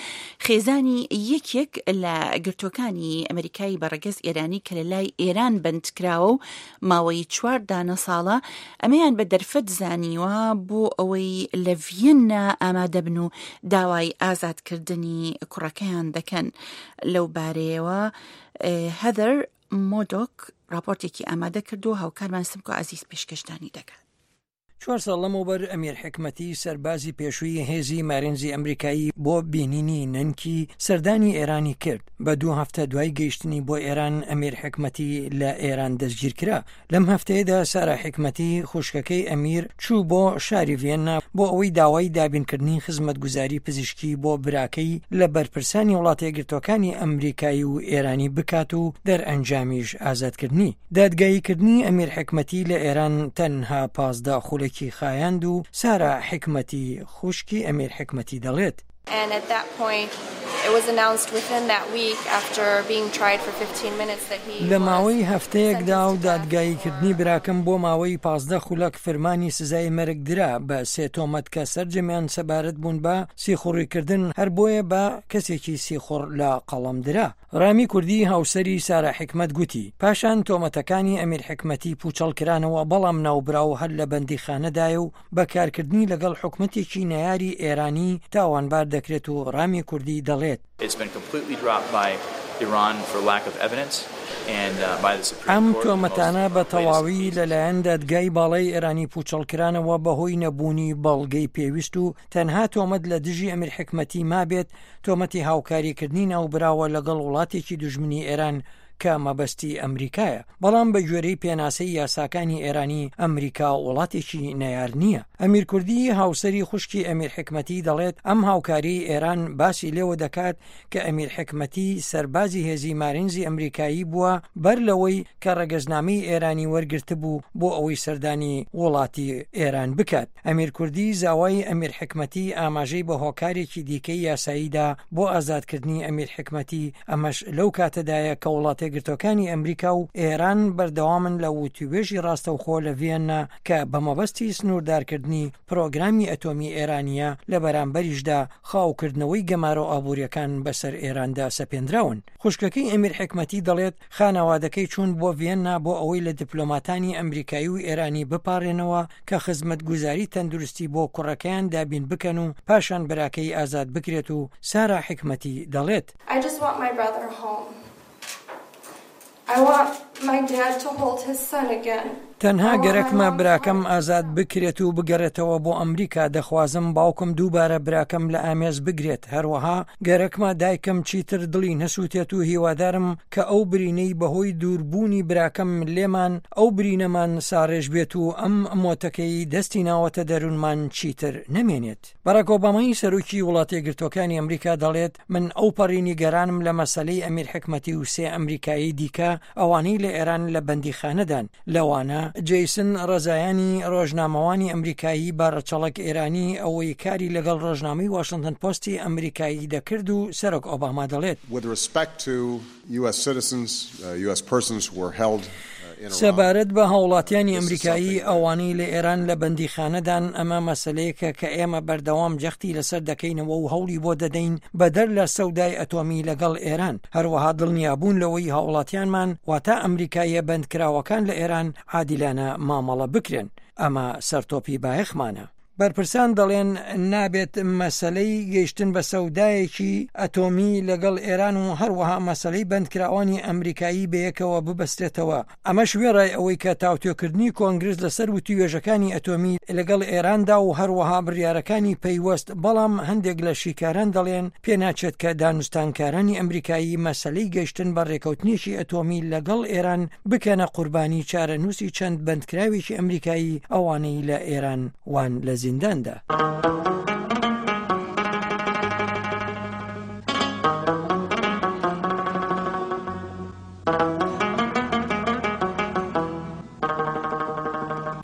خێزانی یەکێک لە گرتوەکانی ئەمریکای بە ڕەگەز ئێرانی کە لە لای ئێران بەندکراوە و ماوەی چوار دانە ساڵە، ئەمەیان بە دەرفەت زانیوە بۆ ئەوەی لە ڤیەننا ئامادە بن و داوای ئازادکردنی کوڕەکەیان دەکەن. لەو بارەیەوە، ئێ، هەدەر مۆدۆک راپۆرتێکی ئامادە کردووە، هاوکارمان سمکۆ عەزیز پێشکەشدانی دەکات. چوار ساڵ لەمەوبەر ئەمیر حکمەتی، سەربازی پێشووی هێزی مارینزی ئەمریکایی، بۆ بینینی نەنکی سەردانی ئێرانی کرد. بە دوو هەفتە دوای گەیشتنی بۆ ئێران، ئەمیر حکمەتی لە ئێران دەستگیر کرا. لەم هەفتەیەدا سارا حکمەتی، خوشکەکەی ئەمیر، چوو بۆ شاری ڤیەننا بۆ ئەوەی داوای دابینکردنی خزمەتگوزاری پزیشکی بۆ براکەی لە بەرپرسانی وڵاتە یەکگرتوەکانی ئەمریکایی و ئێرانی بکات و دەرئەنجامیش ئازادکردنی. دادگاییکردنی ئەمیر حکمەتی لە ئێران تەنها پازدە خولەکی خایاند و سارا حکمەتی، خوشکی ئەمیر حکمەتی، دەڵێت: And at that point, it was announced within that week, after being tried for fifteen minutes, that he لە was ماوەی هەفتەیەکدا و sentenced to death. دادگاییکردنی براکەم بۆ ماوەی پازدە خولەک فرمانی سزای مەرگ درا بە سێ تۆمەت کە سەرجەمیان سەبارەت بوون بە سیخوڕیکردن، هەر بۆیە بە کەسێکی سیخوڕ لە قەڵەم درا. ڕامی کوردی، هاوسەری سارا حکمەت، گوتی، پاشان تۆمەتەکانی ئەمیر حکمەتی پوچەڵ کرانەوە، بەڵام ناوبراو هەر لە بەندیخانەدایە و بەکارکردنی لەگەڵ حکومەتێکی نەیاری ئێرانی تاوانبار دەکرێت و ڕامی کوردی دەڵێت: It's been completely dropped by Iran for lack of evidence and, uh, by the Supreme ئەم Court. تۆمەتانە بە تەواوی لەلایەن دادگای باڵای ئێرانی پوچەڵکرانەوە بەهۆی نەبوونی بەڵگەی پێویست و تەنها تۆمەت لە دژی ئەمیر حکمەتی مابێت، تۆمەتی هاوکاریکردنی ناوبراوە لەگەڵ وڵاتێکی دوژمنی ئێران کە مەبەستی ئەمریکایە. بەڵام بە گوێرەی پێناسەی یاساکانی ئێرانی، ئەمریکا وڵاتێکی نەیار نییە. ئەمیر کوردی، هاوسەری خوشکی ئەمیر حکمەتی، دەڵێت ئەم هاوکاری ئێران باسی لێوە دەکات کە ئەمیر حکمەتی سەربازی هێزی مارینزی ئەمریکایی بووە، بەر لەوەی کە ڕەگەزنامەی ئێرانی وەرگرتبوو بۆ ئەوەی سەردانی وڵاتی ئێران بکات. ئەمیر کوردی زاوای ئەمیر حکمەتی ئاماژەی بە هۆکارێکی دیکەی یاساییدا بۆ ئازادکردنی ئەمیر حکمەتی، ئەمەش لەو کاتەدایە کە وڵاتە گرتوەکانی ئەمریکا و ئێران بەردەوامن لە وتیوێژی ڕاستەوخۆ لە ڤیەننا کە بە مەبەستی سنووردارکردنی پرۆگرامی ئەتۆمی ئێرانیە، لە بەرامبەریشدا خاوکردنەوەی گەمارۆ ئابووریەکان بەسەر ئێراندا سەپێندراون. خوشکەکەی ئەمیر حکمەتی دەڵێت خانەوادەکەی چوون بۆ ڤیەننا بۆ ئەوەی لە دیپلۆماتانی ئەمریکایی و ئێرانی بپارێنەوە کە خزمەتگوزاری تەندروستی بۆ کوڕەکەیان دابین بکەن و پاشان براکەی ئازاد بکرێت و سارا حکمەتی دەڵێت: I just want my brother home. I want my dad to hold his son again. تەنها گەرەکمە براکەم ئازاد بکرێت و بگەڕێتەوە بۆ ئەمریکا. دەخوازم باوکم دووبارە براکەم لە ئامێز بگرێت. هەروەها گەرەکمە دایکم چیتر دڵی نەسووتێت و هیوادارم کە ئەو برینەی بەهۆی دووربوونی براکەم لێمان، ئەو برینەمان ساڕێژ بێت و ئەم مۆتەکەی دەستی ناوەتە دەروونمان چیتر نەمێنێت. باراک ئۆبامای سەرۆکی وڵاتە یەکگرتوەکانی ئەمریکا دەڵێت من ئەوپەڕی نیگەرانم لە مەسەلەی ئەمیر حکمەتی و سێ ئەمریکایی دیکە، ئەوانەی لە ئێران لە بەندیخانەدان. لەوانە جەیسن ڕەزایانی، ڕۆژنامەوانی ئەمریکایی بە ڕەچەڵەک ئێرانی، ئەوەی کاری لەگەڵ ڕۆژنامەی واشنتن پۆستی ئەمریکایی دەکرد و سەرۆک ئۆباما دەڵێت: With respect to U S citizens, uh, U S persons were held, uh, in Iran. سەبارەت بە هاوڵاتیانی ئەمریکایی ئەوانەی لە ئێران لە بەندیخانەدان، ئەمە مەسەلەیەکە کە ئێمە بەردەوام جەختی لەسەر دەکەینەوە و هەوڵی بۆ دەدەین بەدەر لە سەودای ئەتۆمی لەگەڵ ئێران. هەروەها دڵنیابوون لەوەی هاوڵاتیانمان، واتە ئەمریکاییە بەندکراوەکان لە ئێران، عادیلانە مامەڵە بکرێن. ئەمە سەرتۆپی بایەخمانە. بەرپرسان دەڵێن نابێت مەسەلەی گەیشتن بە سەودایەکی ئەتۆمی لەگەڵ ئێران و هەروەها مەسەلەی بەندکراوانی ئەمریکایی بەیەکەوە ببەسترێتەوە. ئەمەش وێڕای ئەوەی کە تاوتوێکردنی کۆنگرس لەسەر وتیوێژەکانی ئەتۆمی لەگەڵ ئێراندا و هەروەها بڕیارەکانی پەیوەست، بەڵام هەندێک لە شیکاران دەڵێن پێناچێت کە دانوستانکارانی ئەمریکایی مەسەلەی گەیشتن بە ڕێکەوتنێکی ئەتۆمی لەگەڵ ئێران بکەنە قوربانی چارەنووسی چەند بەندکراوێکی ئەمریکایی ئەوانەی لە ئێران وان لە زینداندا.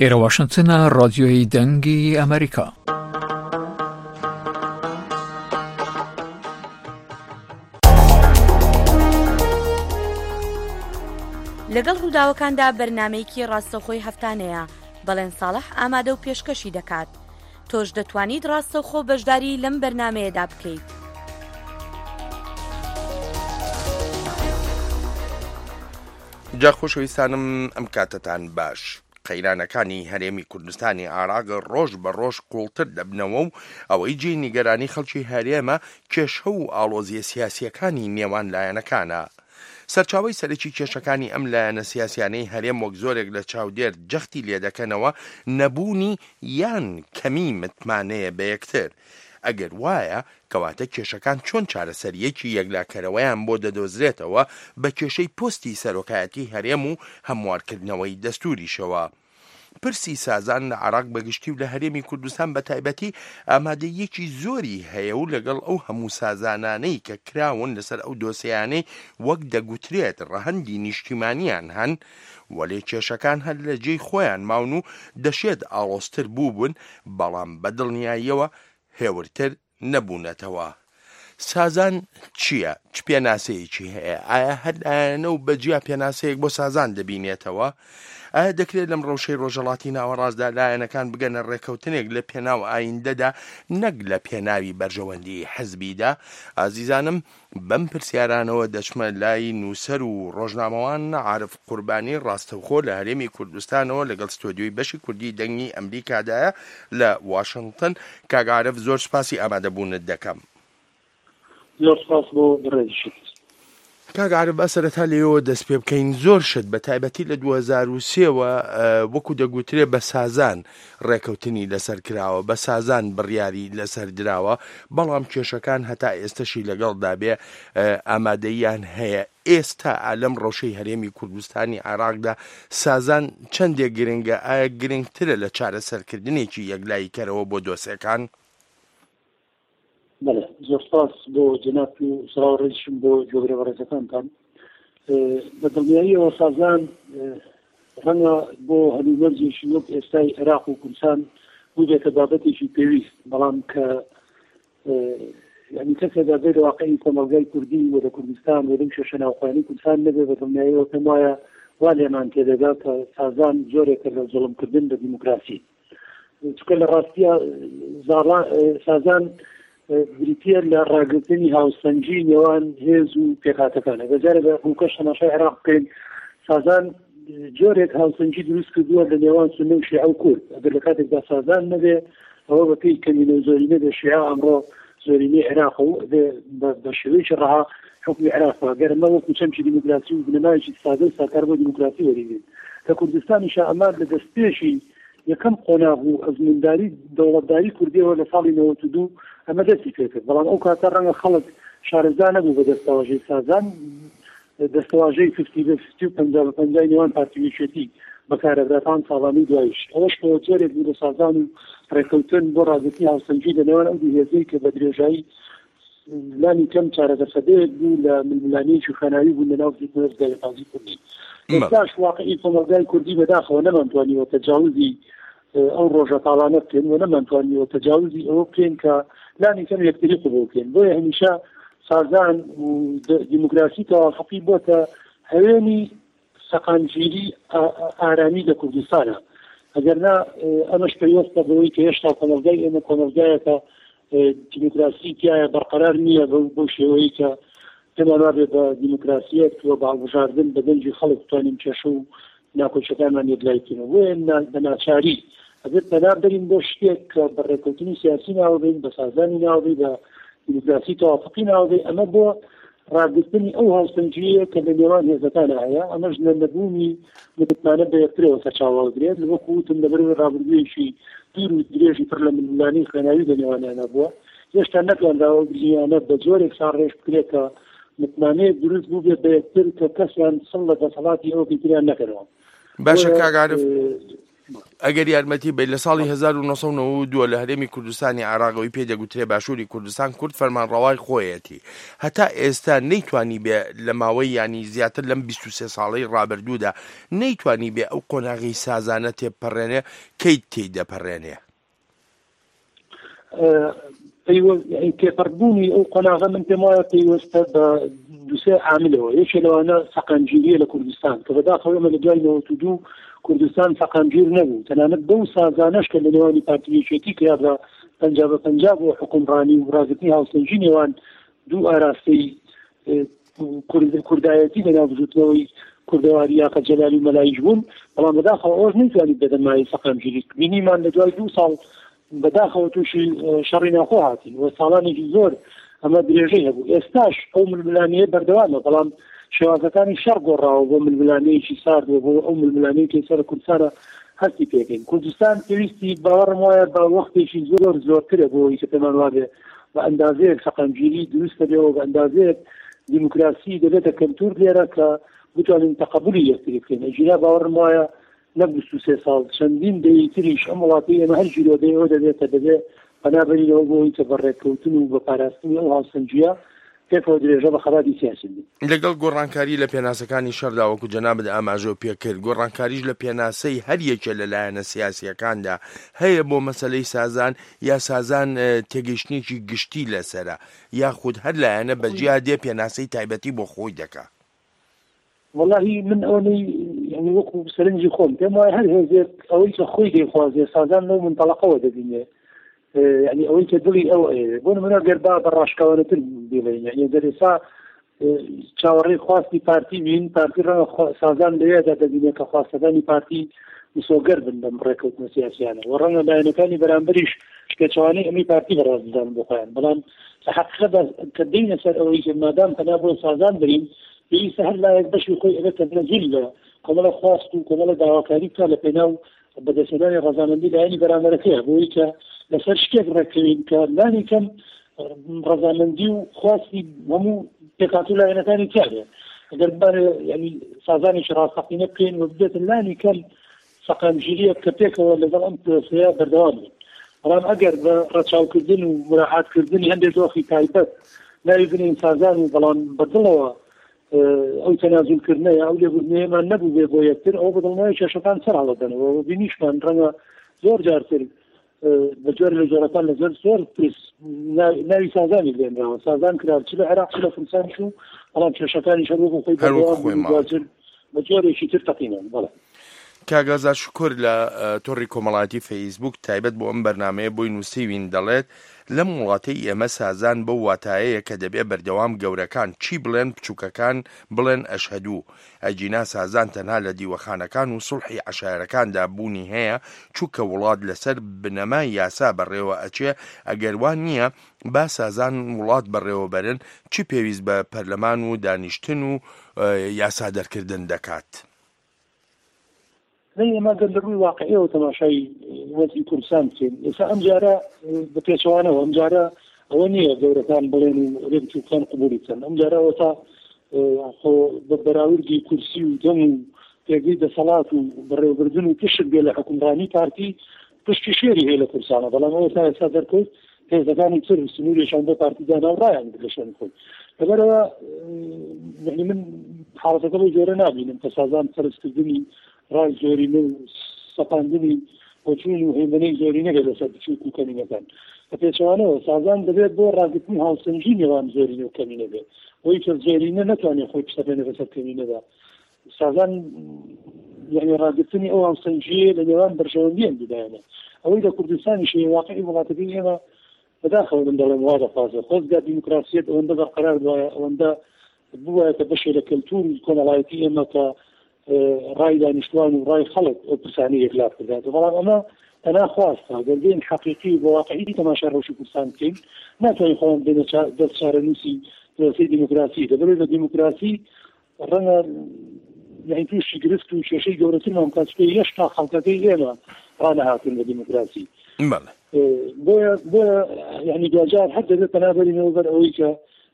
ئێرە واشنگتنە، ڕادیۆی دەنگی ئەمریکا. لەگەڵ ڕووداوەکاندا بەرنامەیەکی ڕاستەوخۆی هەفتانەیە. بەڵێن ساڵح ئامادە و پێشکەشی دەکات. تۆش دەتوانیت ڕاستەوخۆ بەشداری لەم بەرنامەیەدا بکەیت. جا خۆشەویستانم، ئەم کاتتان باش. قەیرانەکانی هەرێمی کوردستانی عێراق ڕۆژ بە ڕۆژ قوڵتر دەبنەوە و ئەوەی جێی نیگەرانی خەڵکی هەرێمە، کێشە و ئاڵۆزیە سیاسیەکانی نێوان لایەنەکانە. سەرچاوەی سەرەکی کێشەکانی ئەم لایەنە سیاسیانەی هەرێم وەک زۆرێک لە چاودێر جەختی لێ دەکەنەوە، نەبوونی یان کەمی متمانەیە بە یەکتر. ئەگەر وایە، کەواتە کێشەکان چۆن چارەسەریەکی یەکلاکەرەوەیان بۆ دەدۆزرێتەوە بە کێشەی پۆستی سەرۆکایەتی هەرێم و هەموارکردنەوەی دەستوریشەوە؟ پرسی سازان لە عێراق بەگشتی و لە هەرێمی کوردستان بە تایبەتی ئامادەییەکی زۆری هەیە و لەگەڵ ئەو هەموو سازانانەی کە کراون لەسەر ئەو دۆسیانەی وەک دەگوترێت ڕەهەندی نیشتیمانیان هەن، وەلێ کێشەکان هەر لە جێی خۆیان ماون و دەشێت ئاڵۆزتر بووبن، بەڵام بە دڵنیاییەوە هێورتر نەبوونەتەوە. سازان چییە؟ چ پێناسەیەکی هەیە؟ ئایا هەر لایەنە و بەجیا پێناسەیەک بۆ سازان دەبینێتەوە؟ ئایا دەکرێت لەم ڕەوشەی ڕۆژهەڵاتی ناوەڕاستدا لایەنەکان بگەنە ڕێکەوتنێک لە پێناو ئایندەدا، نەک لە پێناوی بەرژەوەندی حزبیدا؟ ئازیزانم، بەم پرسیارانەوە دەچمە لای نووسەر و ڕۆژنامەوان عارف قوربانی، ڕاستەوخۆ لە هەرێمی کوردستانەوە لەگەڵ ستۆدیۆی بەشی کوردی دەنگی ئەمریکادایە لە واشنگتن. کاک عارف، زۆر سپاسی ئامادەبوونت دەکەم. زۆر سپاس بۆ بڕێزیشت. کاک عارف، با سەرەتا لێەوە دەست پێ بکەین. زۆر شت، بە تایبەتی لە دوو هەزار و سێ وە، ئە، وەکو دەگوترێ بە سازان ڕێکەوتنی لەسەر کراوە، بە سازان بڕیاری لەسەر دراوە، بەڵام کێشەکان هەتا ئێستەشی لەگەڵدا بێ، ئە، ئامادەییان هەیە. ئێستا ئا لەم ڕەوشەی هەرێمی کوردستانی عێراقدا سازان چەندێک گرنگە؟ ئایا گرنگترە لە چارەسەرکردنێکی یەکلاییکەرەوە بۆ دۆسێکان؟ بەڵێ، زۆر سپاس بۆ جەناب و سڵاو ڕێزشم بۆ گوێگرە بەڕێزەکانتان. ئێ، بە دڵنیاییەوە سازان، ئێ، ڕەنگە بۆ هەلومەرجێکی وەک ئێستای عێراق و کوردستان بووبێتە بابەتێکی پێویست، بەڵام کە، ئێ، یعنی کەسێک ئەبێت لە واقعی کۆمەڵگای کوردی و لە کوردستان و لەم کێشە ناوخۆیانەی کوردستان نەبێ، بە دڵنیاییەوە پێم وایە وا لێمان تێدەگا کە سازان جۆرێکە لە زوڵمکردن بە دیموکراسی. چونکە لە ڕاستیە زاڵا-، سازان بریتیە لە ڕاگرتنی هاوسەنگی نێوان هێز و پێکهاتەکان. ئەگەر جارێک بە ڕووکەش تەماشای عێراق بکەین، سازان جۆرێک هاوسەنگی دروست کردووە لە نێوان سونە و شیعە و کورد. ئەگەر لە کاتێکدا سازان نەبێ، ئەوە بە پێی کەمینە و زۆرینە بێ، شیعە ئەمڕۆ زۆرینەی عێراق و بێ بە، بە شێوەیەکی ڕەها حکومی عێراق بکا. گەر ئەمە وەکو چەمکی دیموکراسی و بنەمایەکی سادە و ساکار بۆ دیموکراسی وەریگرین. لە کوردستانیشا ئەمە لە دەستپێشی یەکەم قۆناغ و ئەزمونداری دەوڵەتداری کوردیەوە لە ساڵی نەوەد و دوو ئەمە دەستی پێکرد. بەڵام ئەو کاتە ڕەنگە خەڵک شارەزا نەبوو بە دەستەواژەی سازان، دەستەواژەی فیفتی بە فیفتی و پەنجا بە پەنجای نێوان پارتی و یەکێتی بەکارەبراتان ساڵانی دوایش. ئەوەش بۆ جۆرێک بوو لە سازان و ڕێکەوتن بۆ ڕاگرتنی هاوسەنگی لە نێوان ئەو دوو هێزەی کە بە درێژایی لانی کەم چارەدەسەدەیەک بوو لە ململانەیەکی خوێناوی بوون لە ناو زیندوێز دایەپازی کوردی. مم. ئێستاش واقعی کۆمەلگای کوردی بەداخەوە نەمانتوانیوە تەجاوزی، ئێ، ئەو ڕۆژە تاڵانە بکەین و نەمانتوانیوە تەجاوزی ئەوە بکەین کە لانی کەم یەکتری قبول بکەین. بۆیە هەمیشە سازان و د-، دیموکراسی تەوافقی بۆتە هەوێنی سەقامگیری ئا-، ئا-، ئارامی لە کوردستانە. ئەگەر نا، ئێ، ئەمەش پەیوەستە بەوەی کە هێشتا کۆمەلگای ئێمە کۆمەلگایەکە، ئێ، دیموکراسی تیایە بەرقەرار نییە بەو، بەو شێوەیە کە پێمان وابێ بە دیموکراسیەت و بە هەڵبژاردن بە دەنگی خەڵک بتوانین کێشە و ناکۆچەکانمان یەکلای بکەینەوە. بۆیە نا-، بە ناچاری ئەبێت پەنا بەرین بۆ شتێک کە بە ڕێکەوتنی سیاسی ناوە بین، بە سازانی ناوە بین، بە دیموکراسی تەوافقی ناوە بین. ئەمە بۆ ڕاگرتنی ئەو هاوسەنگیەیە کە لە نێوان هێزەکانە هەیە. ئەمەش لە نەبوونی متمانە بە یەکترەوە سەرچاوە دەگرێت. وەکو وتم، لەبەر ڕابردوویەکی دوور و درێژی پڕ لە ململانەی خوێناوی لە نێوانیانە بووە. هێشتا نەتوانراوە ئەو گرژیانە بە جۆرێک ساڕێژ بکرێت کە متمانەیەک دروست بوو بێت بە یەکتر کە کەسیان سڵ لە دەسەڵاتی ئەوەکەی تریان نەکەنەوە. باشە، بۆیە، کاک عارف. ئێ، ئەگەر یارمەتی بێت، لە ساڵی هەزار و نۆ سەد و نەوەد و دوو لە هەرێمی کوردستانی عێراق، ئەوەی پێ دەگوترێ باشووری کوردستان، کورد فەرمانڕەوای خۆیەتی. هەتا ئێستا نەیتوانی بێ لە ماوەی، یانی زیاتر لەم بیست و سێ ساڵەی ڕابردوودا، نەیتوانی بێ ئەو قۆناغی سازانە تێپەڕێنێ، کەی تێی دەپەڕێنێ؟ پەیوە-، یعنی تێپەڕبوونی ئەو قۆناغە من پێم وایە پەیوەستە بە دووسێ عاملەوە. یەکێ لەوانە سەقامگیریە لە کوردستان، کە بەداخەوە ئێمە لە دوای نەوەد و دوو کوردستان سەقامگیر نەبوو. تەنانەت بەو سازانەش کە لە نێوانی پارتی یەکێتی کرا بە پەنجا بە پەنجا بۆ حکومڕانی و ڕاگرتنی هاوسەنگی نێوان دوو ئاراستەی، ئێ، کورد-، کوردایەتی لە ناو بزوتنەوەی کوردەواری یاخە جەلالی و مەلایش بوون، بەڵام بەداخەوە ئەوەش نەیتوانی بێتە مایەی سەقامگیری. بینیمان لە دوای دوو ساڵ بەداخەوە تووشی، ئێ، شەڕی ناوخۆ هاتین و ساڵانێکی زۆر ئەمە درێژەی هەبوو. ئێستاش ئەو ململانیە بەردەوامە، بەڵام شێوازەکانی شەڕ گۆڕاوە بۆ ململانەیەکی سارد و بۆ ئەو ململانەیە کە ئێستا لە کوردستانە هەستی پێکەین. کوردستان پێویستی، باوەڕم وایە، بە وەختێکی زۆر زۆرترە بۆ ئەوەی کە پێمان وابێ بە ئەندازەیەک سەقامگیری دروست دەبێ و بە ئەندازەیەک دیموکراسی دەبێتە کەلتور لێرە کە بتوانین تەقەبولی یەکتری بکەین. ئەگینا باوەڕم وایە نەک بیست و سێ ساڵ، چەندین دەیەی تریش ئەم وڵاتەی ئێمە هەر گیرۆدەی ئەوە دەبێت کە دەبێ پەنا بەرینەوە بۆ ئەوەی کە بە ڕێککەوتن و بە پاراستنی ئەو هاوسەنگیە پێکەوە درێژە بە خەباتی سیاسی بدەین. لەگەڵ گۆڕانکاری لە پێناسەکانی شەردا، وەکو جەنابت ئاماژە پێ کرد، گۆڕانکاریش لە پێناسەی هەر یەکێ لە لایەنە سیاسیەکاندا هەیە بۆ مەسەلەی سازان، یا سازان، ئێ، تێگەیشتنێکی گشتی لەسەرە، یاخود هەر لایەنە بە جیا دێ پێناسەی تایبەتی بۆ خۆی دەکا؟ وەڵاهی من ئەوەی، یعنی، وەکو سەرنجی خۆم پێم وایە هەر هێزێک ئەوەی کە خۆی دەیخوازێ سازان لەو منتەڵەقەوە دەبینێ. ئێ، یعنی، ئەوەی کە دڵی ئەو ئەوێ. بۆ نمونە گەر با بە ڕاشکاوانەتر بڵێین، یعنی، گەر ئێستا، ئێ، چاوەڕێی خواستی پارتی بین، پارتی ڕەنگە خوا-، سازان لەوێدا دەبینێ کە خواستەکانی پارتی مسۆگەر بن بەم ڕێکەوتنە سیاسیانە و ڕەنگە لایەنەکانی بەرامبەریش پێچەوانەی ئەمەی پارتی بەڕاست بدان بۆ خۆیان. بەڵام لە حەقیقەتدا کە دێینە سەر ئەوەی کە مادام پەنا بۆ سازان برین، پێویستە هەر لایەک بەشی خۆی ئەبێتە مەزول لە کۆمەڵە خواست و کۆمەڵە داواکاری بکات لە پێناو بەدەستهێنانی ڕەزامەندی لایەنی بەرامبەرەکەیە، بۆی کە لەسەر شتێک ڕێککەوین کە لانی کەم ڕەزامەندی و خواستی هەموو پێکهاتوو لایەنەکانی تیاێ. ئەگەر بمانێ، یعنی، سازانێکی ڕاستەقینە بکەین و ببێتە لانی کەم سەقامگیریەک کە پێکەوە لەگەڵ ئەم پرۆسەیە بەردەوام بێت. بەڵام ئەگەر بە ڕەچاوکردن و مراعاتکردنی هەندێک دۆخی تایبەت ناوی بنین سازان و بەڵام بەدڵەوە، ئێ، ئەو تەنازولکردنە یا ئەو لێبوردنەیەمان نەبوو بێ بۆ یەکتر، ئەوە بەدڵنیایە کێشەکان سەر هەڵەدەنەوە و بینیشمان ڕەنگە زۆر جارتر، ئێ، بە جۆر لە جۆرەکان لەسەر زۆر پرس نا-، ناوی سازانی لێنراوە. سازان کرا چ لە عێراق چ لە کوردستان چوو، بەڵام کێشەکانی شەر وەکو خۆی هەر وەکو بەردەوام خۆی بوو، ماوە. دواتر بە جۆرێکی تر تەقینان. بەڵێ. کاک ئازاد شکور لە، ئە، تۆڕی کۆمەڵایەتی فەیسبووک تایبەت بۆ ئەم بەرنامەیە بۆی نووسیوین، دەڵێت، لەم وڵاتەی ئێمە سازان بەو واتایەیە کە دەبێ بەردەوام گەورەکان چی بڵێن، بچووکەکان بڵێن ئەشهەدوو. ئەگینا سازان تەنها لە دیوەخانەکان و سوڵحی عەشایەرەکاندا بوونی هەیە، چونکە وڵات لەسەر بنەمای یاسا بەڕێوە ئەچێ، ئەگەر وان نییە با سازان وڵات بەڕێوە بەرن، چی پێویست بە پەرلەمان و دانیشتن و، ئە، یاسا دەرکردن دەکات؟ نەی ئێمە گەر لە ڕووی واقعیەوە تەماشای وەزی کوردستان بکەین، ئێستا ئەم جارە بە پێچەوانەوە، ئەم جارە ئەوە نییە گەورەکان بڵێن و رێ بچووکان قبولی بکەن. ئەم جارە ئەوە تا، ئێ، خۆ بە بەراوردی کورسی و دەم و پێگەی دەسەڵات و بەڕێوەبردن و پشت بێ لە حکومڕانی پارتی، پشتی شێری هەیە لە کوردستانە. بەڵام ئەوە تا ئێستا دەرکەوت هێزەکانی تر سنوورێکیان بۆ پارتی دانا و ڕایان گرت لە شوێنی خۆی. لەبەرەوە، ئێ، یعنی من حاڵەتەکە بەو جۆرە نابینم کە سازان فەرزکردنی ڕای زۆرینە و سەپاندنی بۆچوون و هێمنەی زۆرینە بێت لەسەر بچووک و کەمینەکان. بە پێچەوانەوە سازان دەبێت بۆ ڕاگرتنی هاوسەنگی نێوان زۆرینە و کەمینە بێت، بۆی کە زۆرینە نەتوانێت خۆی بسەپێنێت بەسەر کەمینەدا. سازان، یعنی، ڕاگرتنی ئەو هاوسەنگیە لە نێوان بەرژەوەندیان بدایەنە. ئەوەی لە کوردستانی شەیە واقعی وڵاتەکەی ئێمە بەداخەوە من دەڵێم وا دەخوازێ خۆزگا دیموکراسیەت ئەوەندە بەرقەرار بوایە، ئەوەندە بوایە کە بەشێ لە کەلتور و کۆمەڵایەتی ئێمە کە، ئێ، ڕای دانیشتوان و ڕای خەڵک ئەو پرسانەی یەکلا بکردایەتەوە. بەڵام ئەمە تەنها خواستە. گەر بێین حەقیقی و بە واقعی تەماشای ڕەوشی کوردستان بکەین، ناتوانین خۆمان بێنە چا-، دەست چارەنووسی پرۆسەی دیموکراسی. دەبێت بە دیموکراسی ڕەنگە، یعنی، تووشی گرفت و کێشەی گەورەترمان بکات، چونکە هێشتا خەڵکەکەی ئێمە ڕانەهاتن لە دیموکراسی. بەڵێ. ئێ، بۆیە، بۆیە، یعنی، دوجار هەر دەبێت پەنابەرینەوە بەر ئەوەی کە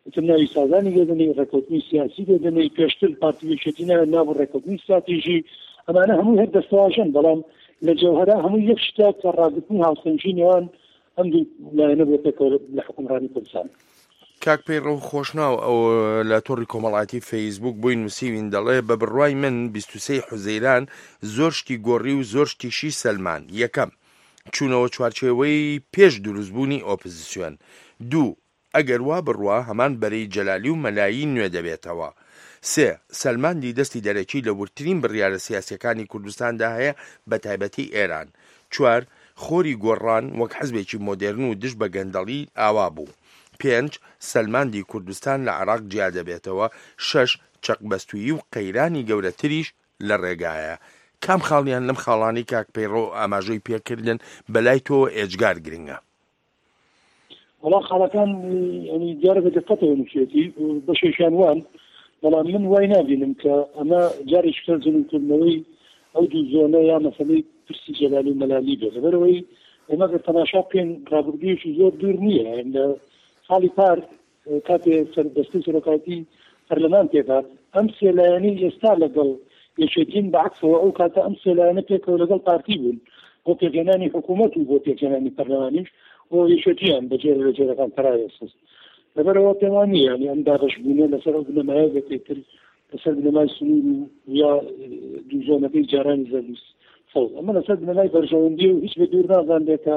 ئیتر ناوی سازانی لێدەنەی، ڕێکەوتنی سیاسی لێدەنەی، پێشتر پارتی یەکێتی ناوی نابوو ڕێکەوتنی استراتیژی. ئەمانە هەموو هەر دەستەواژەن، بەڵام لە جەوهەرا هەموو یەک شتە کە ڕاگرتنی هاوسەنگی نێوان ئەم دوو لایەنە بۆ پێکەوە لە حکومڕانی کوردستان. کاک پەیڕەو خۆشناو ئەو لە تۆڕی کۆمەڵایەتی فەیسبووک بووی نووسیوین، دەڵێ: «بە بڕوای من، بیست و سێی حوزەیران زۆر شتی گۆڕی و زۆر شتیشی سەلمان. یەکەم، چوونەوە چوارچێوەی پێش دروستبوونی ئۆپۆزیسیۆن. دوو، ئەگەر وا بڕوا، هەمان بەرەی جەلالی و مەلایی نوێ دەبێتەوە. سێ، سەلماندی دەستی دەرەکی لە وردترین بڕیارە سیاسیەکانی کوردستاندا هەیە، بە تایبەتی ئێران. چوار، خۆری گۆڕان وەک حزبێکی مۆدێرن و دژ بە گەندەڵی ئاوا بوو. پێنج، سەلماندی کوردستان لە عێراق جیا دەبێتەوە. شەش، چەقبەستوویی و قەیرانی گەورەتریش لە ڕێگایە.» کام خاڵیان لەم خاڵانی، کاک پەیڕەو، ئاماژەی پێکردن بە لای تۆ ئێجگار گرنگە؟ وەڵا خاڵەکان، ینی، دیارە بە دقەتەوە نووسێتی، بەشێکیان وان، بەڵام من وای نابینم کە ئەمە جارێکی تر جنوکردنەوەی ئەو دوو زۆنە یا مەسەلەی پرسی جەلالی و مەلالی بێت. لەبەرەوەی ئێمە گەر تەماشا بکەین، ڕابردوویەکی زۆر دوور نییە. لە ساڵی پار، کاتێ سەر دەستەی سەرۆکایەتی پەرلەمان پێدات، ئەم سێ لایەنەی ئێستا لەگەڵ یەکێتین، بەعکسەوە ئەو کاتە ئەم سێ لایەنە پێکەوە لەگەڵ پارتی بوون بۆ پێکهێنانی حکوومەت و بۆ پێکهێنانی پەرلەمانیش، بۆ یەکێتیان بە جێرە لە جێرەکان پەراوێ سست. لەبەرەوە پێمان نییە، یعنی، ئەم دابەش بوونە لەسەر ئەو بنەمایە بێت پێتر لەسەر بنەمای سنوور و یا، ئە، دوو زۆنەکەی جارانی زەردوس فەوز. ئەمە لەسەر بنەمای بەرژەوەندی و هیچ بە دوور نازانرێت کە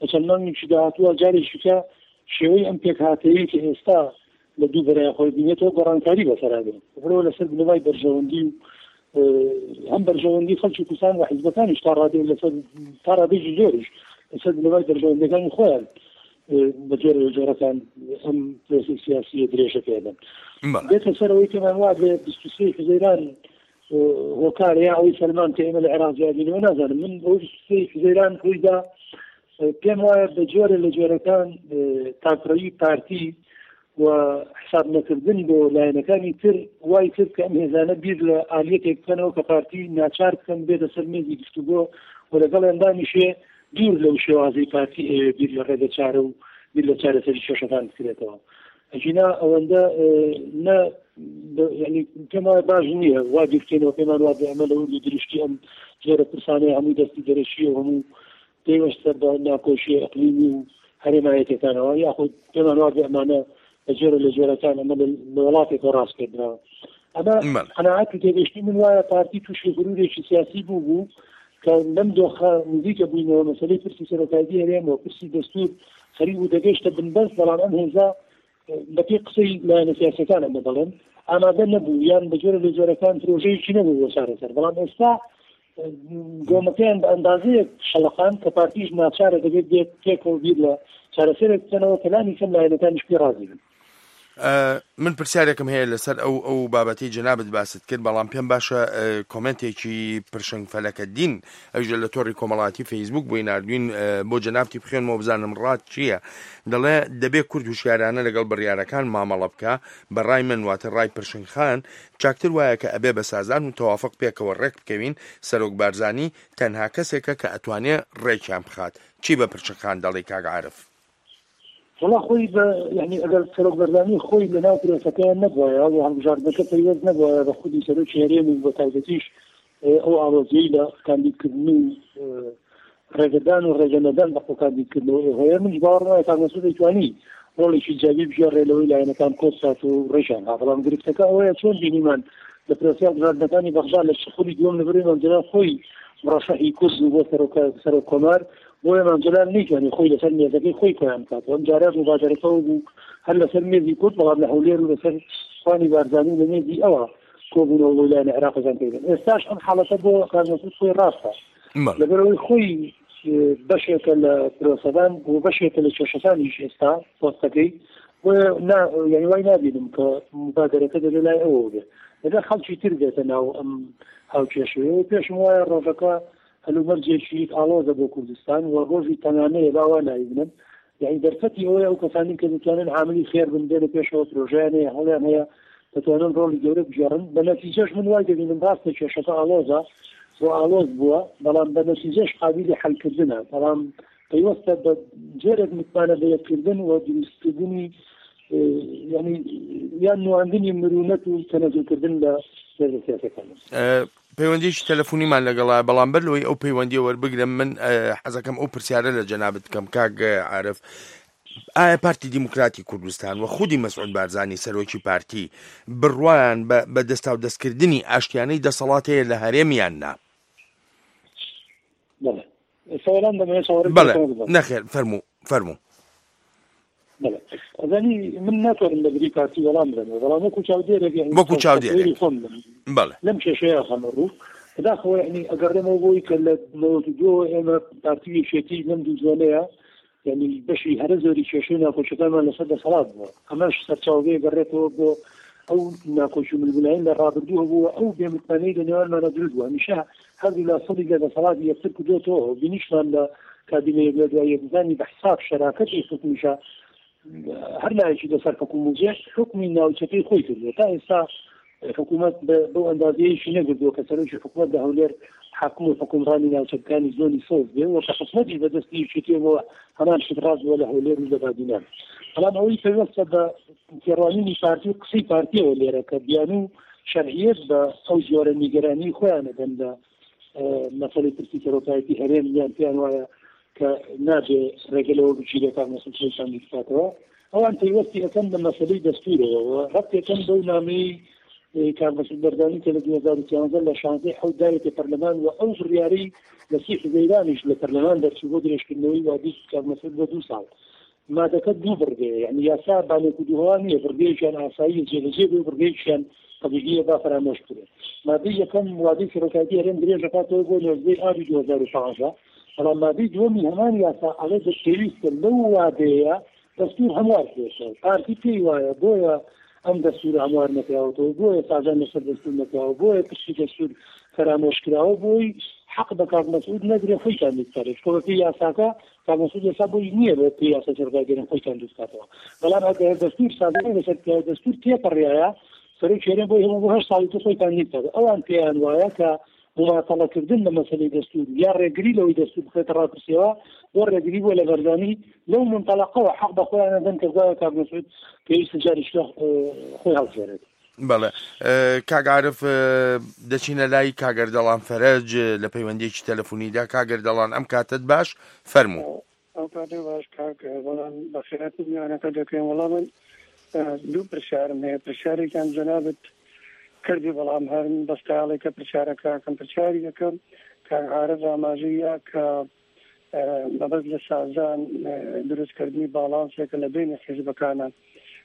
لە چەند مانگێکی داهاتووە جارێکی کە شێوەی ئەم پێکهاتەیەی کە ئێستا لە دوو بەرای خۆی بینێتەوە، گۆڕانکاری بەسەرا بێت. بەرەوە لەسەر بنەمای بەرژەوەندی و، ئە، هەم بەرژەوەندی خەڵکی کوردستان و حیزبەکانیش تا ڕادەی لەسەر، تا ڕادەیەکی زۆریش لەسەر بنەمای بەرژەوەندەکانی خۆیان، ئە، بە جۆرە جۆرەکان ئەم پرۆسەی سیاسیە درێژە پێدەن. بەڵێ. بێتە سەر ئەوەی کەمان وا بێ بیست و سێ حوزەیران، ئە، هۆکارە یا ئەوەی سەلمان کە ئێمە لە عێراق زیادینەوە نازانم. من ئەو بیست و سێ حوزەیران ڕوویدا، ئە، پێم وایە بە جۆرە لە جۆرەکان، ئە، تاکڕەوی پارتی و حساب نەکردن بۆ لایەنەکانی تر وای کرد کە ئەم هێزانە بیر لە ئالیەتێک بکەنەوە کە پارتی ناچار بکەن بێتە سەر مێزی گفتوگۆ و لەگەڵیان دانیشێ دوور لەو شێوازەی پارتی ئەوێ بیر لە ڕێگە چارە و بیر لە چارەسەری کێشەکان بکرێتەوە. ئەگینا ئەوەندە، ئە، نە، بە، یعنی، پێم وایە باش نییە وا بیر بکەینەوە، پێمان وا بێ ئەمە لە وردی دروشتی ئەم جۆرە پرسانەیە هەموو دەستی دەرەشیە و هەموو پێوەستە بە ناکۆشیە ئەقلیمی و هەرێمایەتەکانەوە، یاخود پێمان وا بێ ئەمانە لە جۆرە لە جۆرەکان ئەمە لە، لە وڵاتێکەوە ڕاست پێدراوە. ئەمە بەڵێ. قەناعەت و تێگەشتنی من وایە پارتی تووشی غرورێکی سیاسی بوو بوو کە لەم دۆخە نزیکە بووینەوە مەسەلەی پرسی سەرۆکایەتی هەرێم و پرسی دەستور خەریک بوو دەگەشتە بنبەست، بەڵام ئەم هێزە، بە پێی قسەی لایەنە سیاسیەکان ئەمە دەڵێن، ئامادە نەبوو یان بە جۆرە لە جۆرەکان پرۆژەیەکی نەبوو بۆ چارەسەر. بەڵام ئێستا، ئە، گۆمەکەیان بە ئەندازەیەک شەڵەقان کە پارتیش ناچارە دەبێت بێت پێکەوە بیر لە چارەسەرێک بکەنەوە کە لانی کەم لایەنەکانیش پێ ڕازی بن. ئە، من پرسیارێکم هەیە لەسەر ئەو، ئەو بابەتەی جەنابت باست کرد، بەڵام پێم باشە، ئە، کۆمنتێکی پرشنگ فەلەکە دین، ئەویش لە تۆڕی کۆمەڵاتی فەیسبووک بۆی ناردوین، ئە، بۆ جەنابتی بخوێنمەوە بزانم ڕات چییە. دەڵێ: «دەبێ کورد هوشیارانە لەگەڵ بڕیارەکان مامەڵە بکە. بە ڕای من، واتە ڕای پرشنگ خان، چاکتر وایە کە ئەبێ بە سازان و تەوافق پێکەوە ڕێک بکەوین. سەرۆک بارزانی تەنها کەسێکە کە ئەتوانێ ڕێکیان بخات.» چی بە پرشنگ خان دەڵێ، کاک عارف؟ وەڵا خۆی بە، یعنی، ئەگەر سەرۆک بەرزانی خۆی لە ناو پرۆسەکەیان نەبوایە و هەڵبژاردنەکە پەیوەست نەبوایە بە خودی سەرۆکی هەرێم و بە تایبەتیش، ئێ، ئەو ئاڵۆزیەی لە کاندیدکردن و، ئێ، ڕێگەدان و ڕێگەنەدان بە خۆ کاندیدکردنەوە، ئێ، هەیە، من باوەڕ وایە کاک مەسعود دەیتوانی ڕۆڵێکی جیابی بگێڕێ لەوەی لایەنەکان کۆچ سات و ڕێژان ها. بەڵام گرفتەکە ئەوەیە چۆن بینیمان لە پرۆسەی هەڵبژاردنەکانی بەغدا لە خودی دووەم نەبەرەی مەمجەلال خۆی مڕەشەحی کورد بوو بۆ سەرۆکە-، سەرۆک کۆمار، بۆیە مام جەلال نەیتوانی خۆی لەسەر مێزەکەی خۆی کۆیان بکات. ئەم جارە مبادرەکە ئەو بوو هەر لەسەر مێزی کورد، بەڵام لە هەولێر و لەسەر خوانی بارزانی و لە مێزی ئەوە کۆبوونەوە بۆ لایەنە عێراقەکان پێدەن. ئێستاش ئەم حاڵەتە بۆ کاک مەسعود خۆی ڕاستە. بەڵێ. لەبەرەوەی خۆی، ئێ، بەشێکە لە پرۆسەکان و بەشێکە لە کێشەکانیش ئێستا پۆستەکەی. بۆیە نا-، یعنی وای نابینم کە مبادرەکە دەبێ لای ئەوە بێ. دەبێ خەڵکی تر بێتە ناو ئەم هاوکێشەیە. پێشم وایە ڕۆژەکە هەلومەرجێکی ئاڵۆزە بۆ کوردستان و ڕۆژی تەنانەیە، با وا نایبنم. یعنی دەرفەتی ئەوەیە ئەو کەسانی کە دەتوانن عاملی خێر بن بێنە پێشەوە، پرۆژەیان هەیە، هەڵیان هەیە، دەتوانن ڕۆڵی گەورە بگێڕن. بە نەتیجەش من وای دەبینم ڕاستە کێشەکە ئاڵۆزە و ئاڵۆز بووە، بەڵام بە نەتیجەش قابلی حەلکردنە. بەڵام پەیوەستە بە جۆرێک متمانە بەیەککردن و دروستکردنی، ئێ، یعنی، یان نواندنی مرونەت و تەنەزولکردن لە سیاسەکان. ئێ، پەیوەندیەکی تەلەفۆنیمان لەگەڵایە، بەڵام بەر لەوەی ئەو پەیوەندیە وەربگرم، من ئە، حەزەکەم ئەو پرسیارە لە جەنابت بکەم، کاک ئە، عارف. ئایا پارتی دیموکراتی کوردستان و خودی مەسعود بارزانی سەرۆکی پارتی بڕوایان بە، بە دەستاو دەستکردنی ئاشتیانەی دەسەڵات هەیە لە هەرێمیان نا؟ بەڵێ. سوالان دەمەوێت سوالێک بەڵێ. بەسەر بڵێم. نەخێر، فەرموو، فەرموو. بەڵێ. ئەزانی من ناتوانم لە بری پارتی وەڵام بدەم، بەڵام وەکو چاودێرێک، یعنی، وەکو چاودێرێک. تەسەوری خۆم دەم. بەڵێ. لەم کێشەیە خەمە ڕوو. بەداخەوە، یعنی، ئەگەڕێمەوە بۆی کە لە نەوەد و دوو ئێمە پارتی یەکێتی لەم دوو زۆنەیە، یعنی، بەشی هەرە زۆری کێشەی ناکۆچەکانمان لەسەر دەسەڵات بووە. ئەمەش سەرچاوەیە گەڕێتەوە بۆ ئەو ناکۆچ و ململانین لە ڕابردوو هەبووە، ئەو بێمتمانەی لە نێوانمانە دروست بووە. هەمیشە هەردوو لا سەڵی لە دەسەڵاتی یەکتر کردوتەوە. بینیشمان لە کابینەیەک لە دوای یەک، بزانی بە حساب شەراکەتی حکومیشە هەر لایەکی لەسەر حکوم بێت، حکمی ناوچەکەی خۆی کردووە. تا ئێستا حکوومەت بە، بەو ئەندازەیەکی نەگردووە کە سەرۆکی حکوومەت لە هەولێر حاکم و حکومڕانی ناوچەکانی زۆنی سەوز بێ و کە حکوومەتی بەدەستی یەکێتی بۆ هەمان شت ڕاست بووە لە هەولێر و لە بادینان. بەڵام ئەوەی پەیوەستە بە تێڕوانینی پارتی و قسەی پارتیەوە لێرە کە بیانوو شەرعیەت بە ئەو جۆرە نیگەرانی خۆیان دەدەن لە، ئە، مەسەلەی پرسی سەرۆکایەتی هەرێم، یان پێیان وایە کە نابێ ڕێگە لەوە بگیرێت تا مەسەلەی شان بکاتەوە. ئەوان پەیوەستی ئەکەن بە مەسەلەی دەستورەوە و ڕەبتێکەن بەو نامەی، ئە، کاک مەسعود بەرزانی کە لە دوو هەزار و سیانزە لە شانزەی حەوت داوێتە پەرلەمان و ئەو بڕیارەی لە سی حزەیرانیش لە پەرلەمان دەرچوو بۆ درێژکردنەوەی وادەی کاک مەسعود بە دوو ساڵ. مادەکە دوو بڕگەیە، یعنی، یاسا بانێک و دووهوا نییە، بڕگەیەکیان ئاسایی جێبەجێ بێ و بڕگەیەکیان تەبیعیە با فەرامۆش بکرێت. مادەی یەکەم وادەی سەرۆکایەتی هەرێم درێژ دەکاتەوە بۆ نۆزدەی ئابی دوو هەزار و پازدە، بەڵام مادەی دووەمی هەمان یاسا ئەڵێ دە-، پێویستە لەو وادەیە دەستور هەموار بێتەوە. پارتی پێی وایە، بۆیە ئەم دەستور هەموار نەکراوەتەوە، بۆیە سازان لەسەر دەستور نەکراوە، بۆیە پشتی دەستور فەرامۆش کراوە، بۆی حەق بە کاک مەسعود نەدرێ خۆی کاندید بکات. چونکە بە پێی یاساکە کاک مەسعود ئێستا بۆی نییە بە پێی یاسای سەرۆکایەتی هەرێم خۆی کاندید بکاتەوە. بەڵام ئەگەر دەستور سازمان لەسەر بکات، دەستور تێپەڕیایە، سەرۆکی هەرێم بۆی هەبوو بۆ هەشت ساڵی تر خۆی کاندید بکات. ئەوان پێیان وایە کە مماتەڵەکردن لە مەسەلەی دەستور یا ڕێگری لەوەی دەستور بخرێتە ڕاپرسیەوە بۆ ڕێگری بۆ لە بەرزانی لەو منتەڵەقەوە حەق بە خۆیان نەدەن کە گوایە کاک مەسعود پێویستە جاریش لە، ئە، خۆی هەڵسێنێت. بەڵێ. ئە، کاک عارف، ئە، دەچینە لای کاگەردەڵان فەرەج، ئە، لە پەیوەندیەکی تەلەفۆنیدا. کاگەردەڵان، ئەم کاتت باش، فەرموو. ئەو کاتە باش، کاک، ئە، بەڵام بە خێرات میوانەکە دەکەین. وەڵام من، ئە، دوو پرسیارم هەیە. پرسیارێکیان جەنابت کردی، بەڵام هەر من بەستایاڵێکە پرسیارەکەکەم. پرسیاری یەکەم، کاک عارف ئاماژەیە کە، ئە، مەبەست لە سازان، ئە، دروستکردنی باڵانسێکە لە بینی حیزبەکانە.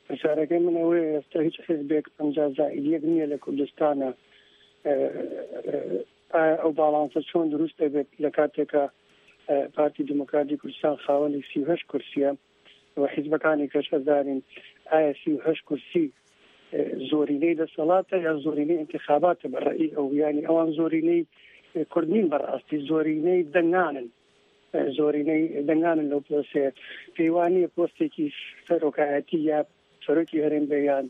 پرسیارەکەی من ئەوەیە، ئێستا هیچ حیزبێک پەنجا زائید یەک نییە لە کوردستانە. ئە، ئە، ئایا ئەو باڵانسە چۆن دروست دەبێت لە کاتێکە، ئە، پارتی دیموکراتی کوردستان خاوەنی سی و هەشت کورسیە و حیزبەکانی کەش ئەزانین ئایا سی و هەشت کورسی، ئە، زۆرینەی دەسەڵاتە یا زۆرینەی انتخاباتە؟ بە ڕەئی ئەو، یعنی، ئەوان زۆرینەی، ئە، کورد نین، بەڕاستی زۆرینەی دەنگانن، ئە، زۆرینەی دەنگانن لەو پرۆسەیە. پێی وانییە پۆستێکی سەرۆکایەتی یا سەرۆکی هەرێم بێ یان،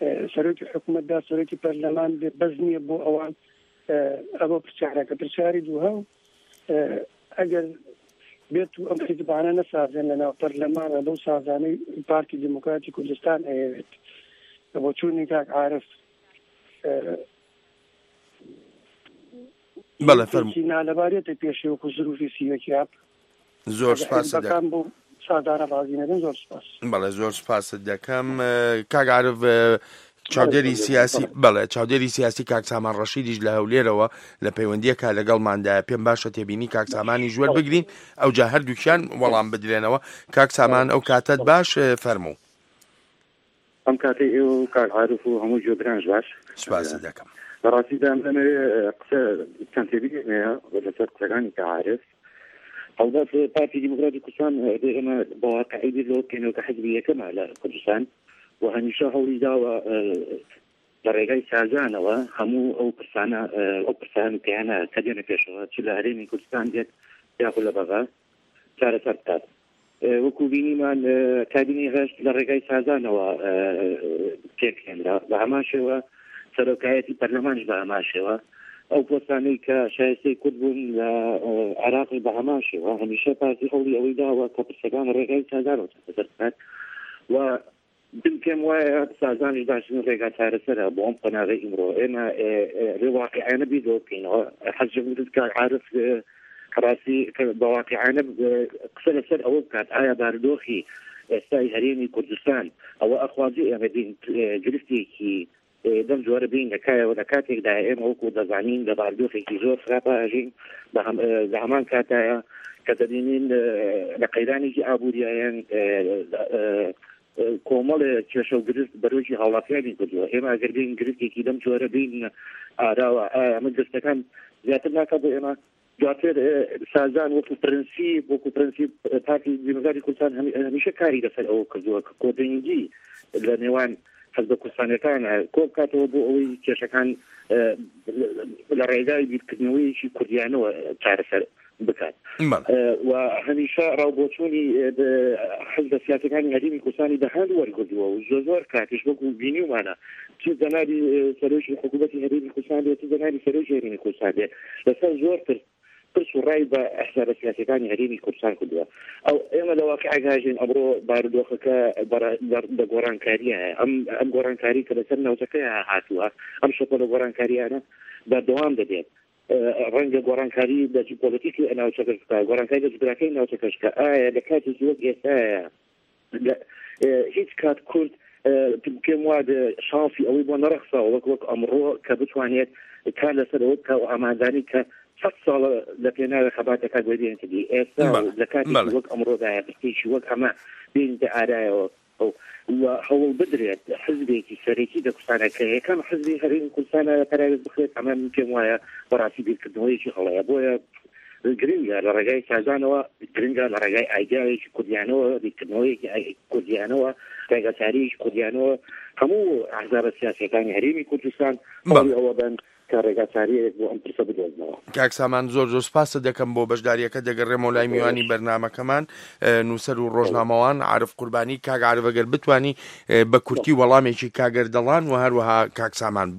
ئە، سەرۆکی حکوومەت دا سەرۆکی پەرلەمان بێ بەس نییە بۆ ئەوان، ئە، ئەوە پرسیارەکە. پرسیاری دووهەم، ئە، ئەگەر بێت و ئەم حیزبانە نەسازێن لە ناو پەرلەمانە بەو سازانەی پارتی دیموکراتی کوردستان ئەیەوێت، بۆ چوونی کاک عارف، ئە، بەڵێ، فەرموو. نالەبارێتە پێشێ وەکو زروفی سیوەکی ئاپ. زۆر سپاس دەکەم. بۆ سازانە ڕازی نەبن. زۆر سپاس. بەڵێ، زۆر سپاست دەکەم. ئە، کاک عارف، ئە، چاودێری سیاسی، بەڵێ، چاودێری سیاسی کاک سامان ڕەشیدیش لە هەولێرەوە لە پەیوەندیەکە لەگەڵماندا. پێم باشە تێبینی کاک سامانی ژوەر بگرین، ئەو جا هەردووکیان وەڵام بدرێنەوە. کاک سامان، ئەو کاتت باش، ئە، فەرموو. ئەم کاتەی ئێوە و کاک عارف و هەموو گوێگرانش باش. سپاست دەکەم. بەڕاستیدا ئەمەوێ قسە، چەند تێبینێک هەیە لەسەر قسەکانی کە عارف. هەڵبەت پارتی دیموکراتی کوردستان، ئێمە بە واقعی بیر لەوە بکەینەوە کە حزبی یەکەمە لە کوردستان و هەمیشە هەوڵی داوە، ئە، لە ڕێگای سازانەوە هەموو ئەو پرسانە، ئە، ئەو پرسان و کەیانە کە دێنە پێشەوە، چ لە هەرێمی کوردستان بێت یاخود لە بەغا، چارەسەر بکات. ئە، وەکو بینیمان، ئە، کابینەی هەشت لە ڕێگای سازانەوە، ئە، پێکهێنرا. بە هەمان شێوە سەرۆکایەتی پەرلەمانش بە هەمان شێوە. ئەو پۆستانەی کە شایستەی کورد بوون لە، ئە، عێراقش بە هەمان شێوە. هەمیشە پارتی هەوڵی ئەوەی داوە کە پرسەکان ڕێگای سازانەوە چارەسەر بکات. و Bin pêm waya sazan ji daşin rêga çaresere bo em qonagê îmro. Ême, e, e, rê waqi'ane bî do bikîn. Hezim Kak Arif, e, rastî bi waqi'ane, e, qise li ser ew bikat. Aya barodoxî, e, êstayî herêmî Kurdistan, ew exwazî ême bîn, e, giriftekî, e, dem cûre bîn, lekaye û lekatek daye ême wekû dezanîn, li barodoxekî zor xirab a jîn, di hem, e, di heman kata ya, ke dibînin, e, li qeyranekî abûriyayen, e, e, e, komelê kêşe û girift berojî hawlatiya bîn kurdî. Ême eger bîn giriftekî dem cûre bîn arawa, e, ême giriftekan ziyadtir naka bo ême. Duatêr, e, sazan wekû prensîp, wekû prensîp, e, Partî Demokratîk Kurdistan hem-, e, hemîşe karî li ser ew kirdiwe, ke kodengî li nêwan hizbe kurdistaniyetane, e, kom bikatwe bo ewê kêşekan, e, li, li rêgay bîrkirdineweyekî kurdiyane we çareser bikat. Bele. E, we hemîşe rewboçûnî, e, bi hizbe siyasekanî herêmî Kurdistanî bi hand wergirtiwe û zor zor katîş wekû bînî wana. Tu zenarî, e, serokê hikûmetî herêmî Kurdistanê, tu zenarî serokê herêmî Kurdistanê. Li ser zor pirs, pirs û ray bi hizbe siyasekanî herêmî Kurdistan kirdiwe. Ew ême li waqi'ek hajin emro barodoxeke bara-, bar-, bi gorankariya ye. Em, em gorankarî ke li ser newçeke ya hatûye. Em şopele gorankariya ne berdewam dibên. E, renge gorankarî de ji polîtîkê navçe kişka, gorankarî de ji birakê navçe kişka. Aya li katekî wek êsta ye. Li, e, hîç kat Kurd, e, pêm wa de şansî ewî bo nerexsa wek, wek emro ke bitwanêt kar li ser wek ke û amandanî ke sed sal li pênavê xebateke guherîn kidî. Êsta Bele, li katekî bele. wek emro de ye, pirsî wek eme bîn de araya. Ew, we hewl bidirêt hizbekî serekî de Kurdistana ke yekem hizbê herêmî Kurdistana ye, perayê bixirêt, hema min pêm waya bi rastî bîrkirdineweyekî heleya. Boye giring e li rêgay sazanê we, giring e li rêgay aydiyayekî kurdiyanewe, bîrkirdineweyekî ay-, kurdiyanewe, rêgaçariyekî kurdiyanewe, hemû ehzaba siyasekanî herêmî Kurdistan Bele. hewlî ewe ben ke rêgaçariyek bo em pirse bidoznewe. کاک سامان، زۆر زۆر سپاست دەکەم بۆ بەشداریەکە. دەگەڕێمەوە لای میوانی بەرنامەکەمان، ئە، نووسەر و ڕۆژنامەوان عارف قوربانی. کاک عارف، ئەگەر بتوانی، ئە، بە کورتی وەڵامێکی کاک ئەردەڵان و هەروەها کاک سامان.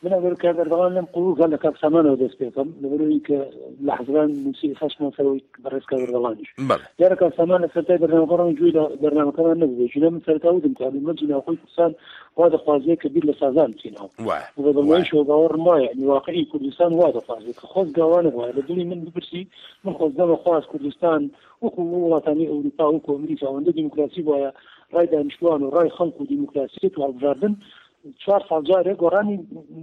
من ئەگەر کاک ئەردەڵان لەم قوڵووزە لە کاک سامانەوە دەست پێ بکەم، لەبەرەوەی کە لە حەزران نووسی خەشمان سەرەوەی بەڕێز کاک ئەردەڵانیش. بەڵێ. دیارە کاک سامان لە سەرتای بەرنامەکە ڕەنگ جوێی لە بەرنامەکەمان نەبوو. بێژینە من سەرتا وتم کە من جی ناوخۆی کوردستان وا دەخوازێ کە بیر لە سازان بچینەوە. وایە. و بە دڵنیاییشەوە باوەڕم وایە، یعنی واقعی کوردستان وا دەخوازێ کە خۆزگا وا نەبوایە. لە دڵی من بپرسی، من خۆزگەمە خواز کوردستان وەکو وڵاتانی ئەوروپا، وەکو ئەمریکا، ئەوەندە دیموکراسی بوایە، ڕای دانیشتوان و ڕای خەڵک و دیموکراسیەت و هەڵبژاردن چوار ساڵ جارێ گۆڕانی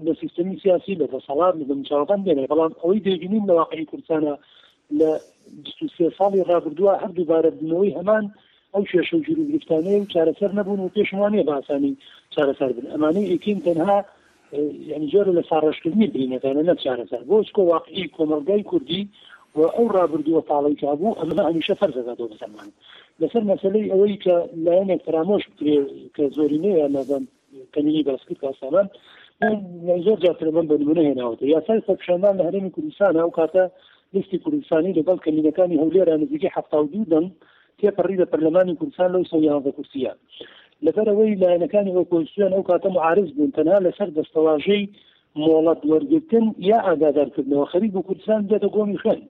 لە سیستەمی سیاسی، لە دەسەڵات، لە دەموچاوەکان بێنێ. بەڵام ئەوەی دەیبینین لە واقعی کوردستانە لە بیست و سێ ساڵی ڕابردووە هەر دووبارە بوونەوەی هەمان ئەو کێشە و گیروگرفتانەیە و چارەسەر نەبوون و پێشمان نییە بە ئاسانی چارەسەر بن. ئەمانەی ئێکین تەنها، ئە، یعنی جۆرە لە ساڕێژکردنی برینەکانە، نە چارەسەر. بۆ چکۆ واقعی کۆمەڵگای کوردی و ئەو ڕابردووە تاڵی کە بوو، ئەمە هەمیشە فەرزەکە بۆ بەسەرمان. لەسەر مەسلەی ئەوەی کە لایەنێک فرامۆش بکرێ کە زۆرینەیە، نازان کەمینی باس کرد کاسانان، من زۆر جار ترمەم بە نمونە هێناوەتە. یاسای خۆپیشاندان لە هەرێمی کوردستان ئەو کاتە لیستی کوردستانی لەگەڵ کەمینەکانی هەولێرە نزیکەی حەفتا و دوو دەنگ تێپەڕی لە پەرلەمانی کوردستان لەو سەد یانزە کورسیە. لەبەر ئەوەی لایەنەکانی ئۆپۆزیسیۆن ئەو کاتە معارز بوون، تەنها لەسەر دەستەواژەی مۆڵەت وەرگرتن یا ئاگادارکردنەوە خەریک بوو کوردستان بێتە گۆمی خوێن.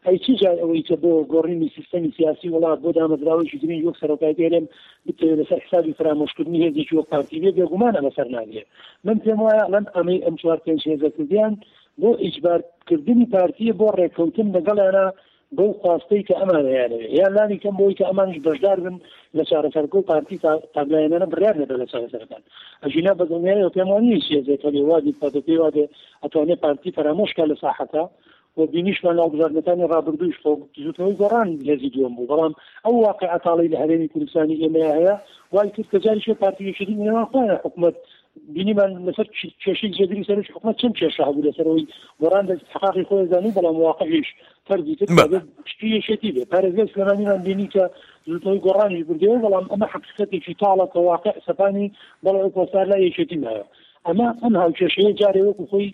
ئەی چی جای ئەوەی کە بۆ گۆڕینی سیستەمی سیاسی وڵات، بۆ دامەزراوەیەکی گرنگ وەک سەرۆکایەتی هەرێم بتەوێت لەسەر حسابی فرامۆشکردنی هێزێکی وەک پارتی بێ، بێگومان ئەمە سەر ناگرێت. من پێم وایە ئەڵەن ئەمەی ئەم چوار پێنج هێزە کردیان بۆ ئیجبارکردنی پارتیە بۆ ڕێککەوتن لەگەڵیانە بەو خواستەی کە ئەمان هەیانەوێ، یان لانی کەم بۆی کە ئەمانش بەشدار بن لە چارەسەرکە و پارتی تا-، تاگلایەنانە بڕیار نەدە لە چارەسەرەکان. ئەژینا بە دڵنیاییەوە پێم وانیە هیچ هێزێک هەبێ وا بیر پەدەپێ وا دێ ئەتوانێ پارتی فەرامۆش کا لە ساحەکە و بینیشمان لە هەڵبژاردنەکانی ڕابردوویش خۆ زوتنەوەی گۆڕان هێزی دووەم بوو، بەڵام ئەو واقعە تاڵی لە هەرێمی کوردستانی ئێمەیە هەیە وای کرد کە جاری شێ پارتی یەکێتی نێوان خۆیان حکوومەت بینیمان لەسەر چ-، کێشەی جێگری سەرۆکی حکومەت چەند کێشە هەبوو لەسەرەوەی گۆڕان دەست حقاقی خۆی زانی، بەڵام واقعیش فەرزی کرد بەڵێ. کە بێت شتی یەکێتی بێ. پارێزگای سلێمانیمان بینی کە زوتنەوەی گۆڕانیش بردەوە، بەڵام ئەمە حەقیقەتێکی تاڵە کە واقع سەپانی بەڵێ ئەو پۆستار لای یەکێتی مایە. ئەمە ئەم هاوکێشەیە جارێ وەکو خۆی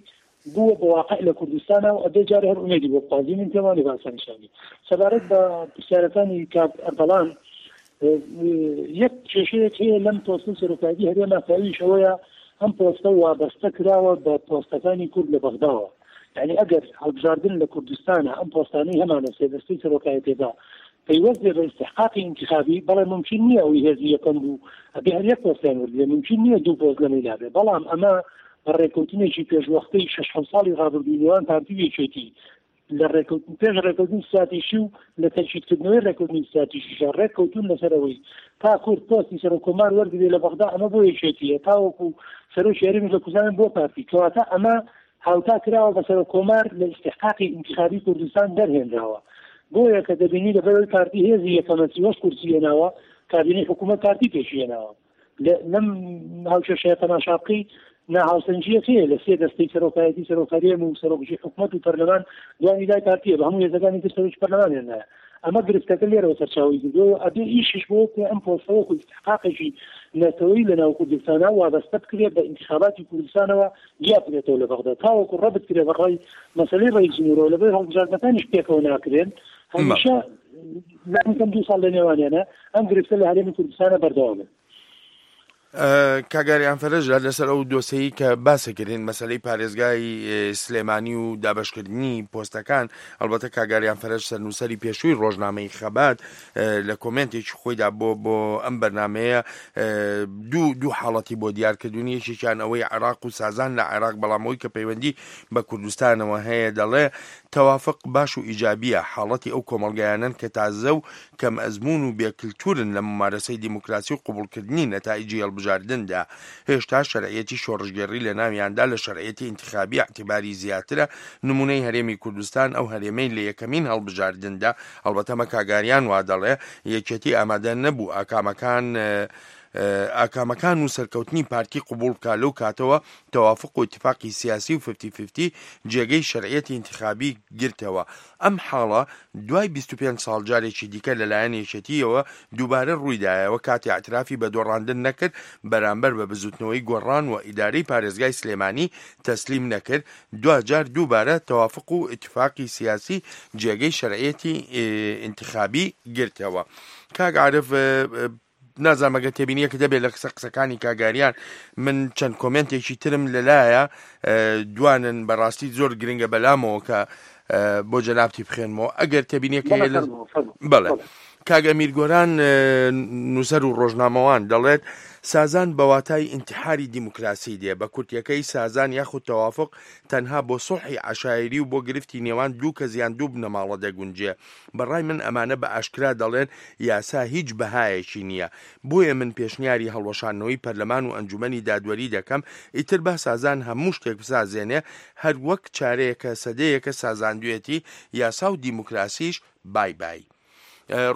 بووە بە واقع لە کوردستانە و ئەبێ جارێ هەر ئومێدی بۆ بخوازین، من پێم وانێ باسەنیشانی. سەبارەت بە پرسیارەکانی کاک ئەردەڵان، یەک کێشەیەک هەیە لەم پۆستە سەرۆکایەتی هەرێما کە ئەویش ئەوەیە ئەم پۆستە وابەستە کراوە بە پۆستەکانی کورد لە بەغداوە. یعنی ئەگەر هەڵبژاردن لە کوردستانە ئەم پۆستانەی هەمانە سێ دەستەی سەرۆکایەتێدا پەیوەست بێ بە ئیستحقاقی ئینتیخابی، بەڵێ ممکن نییە ئەوی هێزی یەکەم بوو ئەبێ هەر یەک پۆستیان وەرگرێ، ممکن نییە دوو پۆست لەمەی لابێ، بەڵام ئەمە بە ڕێکەوتنێکی پێشوەختەی شەش حەوت ساڵی ڕابردووی نێوان پارتی و یەکێتی لە ڕێکەوتن، پێش ڕێکەوتنی ستراتیژی و لە تەکیدکردنەوەی ڕێکەوتنی ستراتیژیشە ڕێککەوتون لەسەر ئەوەی تا کورد پۆستی سەرۆک کۆمار وەرگرێ لە بەغدا، ئەمە بۆ یەکێتیە، تاوەکو سەرۆکی هەرێمی لە کوردستان بۆ پارتی. کەواتە ئەمە هاوتا کراوە بە سەرۆک کۆمار لە ئیستحقاقی ئینتیخابی کوردستان دەرهێنراوە. بۆیە کە دەبینی لەبەرەوەی پارتی هێزی یەکەمە سی و هەشت کورسی هێناوە، کابینەی حکوومەت پارتی پێشی هێناوە. لە، لەم هاوکێشەیە تەماشا بکەی، ناهاوسەنجیەک هەیە لە سێ دەستەی سەرۆکایەتی، سەرۆک هەرێم و سەرۆکژی حکوومەت و پەرلەمان دوانی لای پارتیە، بە هەموو هێزەکانی تر سەرۆکی پەرلەمان هێنایە. ئەمە گرفتەکە لێرەوە سەرچاوی گرتووە. ئەبێ ئیشیش بۆ بکرێ ئەم پۆستەوە و ئیستحقاقێکی نەتەوەی لە ناو کوردستانە وابەستە بکرێت بە ئینتخاباتی کوردستانەوە، جیا بکرێتەوە لە بەغدا، تاوەکو ڕەبت کرێ بە ڕای مەسەلەی ڕئیس جمهورەوە. لەبەر هەڵبژاردنەکانیش پێکەوە ناکرێن، هەمیشە لانی کەم دوو ساڵ لە نێوانیانە، ئەم گرفتە لە هەرێمی کوردستانە بەردەوامە. کاگاریان فەرەج، لەسەر ئەو دۆسەیە کە باسەکردین، مەسلەی پارێزگای سلێمانی و دابشکردنی پۆستەکان، ئەلبەتە کاگاریان فەرەج سەرنووسری پێشووی ڕۆژنامەی خەبات لە کۆمنتێکی خۆیدا بۆ بۆ ئەم بەرنمەیە دوو دوو حاڵەتی بۆ دیارکردنی، یەکێکیان ئەوەی عێراق و سازان لە عێراق، بەڵامەوەی کە پەیوەندی بە کوردستانەوە هەیە، دەڵێ تەوافق باش و ئیجابیە، حاڵەتی ئەو کۆمەلگایانن کە تازە و کەم ئەزمون و بێکلتورن لە ممارەسەی دیموکراسی و قبولکردنی نەتائجی هەڵبژاردندا. هێشتا شەرعیەتی شۆڕشگێڕی لە ناویاندا لە شەرعیەتی ئینتخابی اعتباری زیاترە. نمونەی هەرێمی کوردستان، ئەو هەرێمەی لە یەکەمین هەڵبژاردندا، ئەلبەتە مە کاگاریان وا دەڵێ، یەکێتی ئامادە نەبوو ئاکامەکان ئاکامەکان و سەرکەوتنی پارتی قبول بکا لەو کاتەوە تەوافق و ئیتیفاقی سیاسی و ففتی ففتی جێگەی شەرعیەتی ئینتیخابی گرتەوە. ئەم حاڵە دوای بیست و پێنج ساڵ جارێکی دیکە لەلایەن یەکێتیەوە دووبارە ڕوویدایەوە، کاتێ ئەعترافی بە دۆڕاندن نەکرد بەرامبەر بە بزوتنەوەی گۆڕان و ئیدارەی پارێزگای سلێمانی تەسلیم نەکرد، دواجار دووبارە تەوافق و ئیتیفاقی سیاسی جێگەی شەرعیەتی ئینتیخابی گرتەوە. کاک عارف، نازانم ئەگەر تێبینیەکە دەبێت لە قسە قسەکانی کاگاریان. من چەند کۆمنتێکی ترم لەلایە دوانن بەڕاستی زۆر گرنگە بەلامەوە کە بۆ جەنابتی بخێنمەوە ئەگەر تێبینیەکە بڵێ. کاگە میرگۆران، نووسەر و ڕۆژنامەوان، دەڵێت سازان بەواتای ئینتحاری دیموکراسی دێ، بە کورتیەکەی سازان یاخود تەوافق تەنها بۆ سوڵحی عەشایری و بۆ گرفتی نێوان دوو کەس یان دوو بنەماڵە دەگونجێ. بەڕای من ئەمانە بە ئاشکرا دەڵێن یاسا هیچ بەهایەکی نییە. بۆیە من پێشنیاری هەڵوەشاندنەوەی پەرلەمان و ئەنجومەنی دادوەری دەکەم، ئیتر با سازان هەموو شتێک بسازێنێ، هەر وەک چارەیەکە سەدەیەکە سازاندوێتی، یاسا و دیموکراسیش بای بای.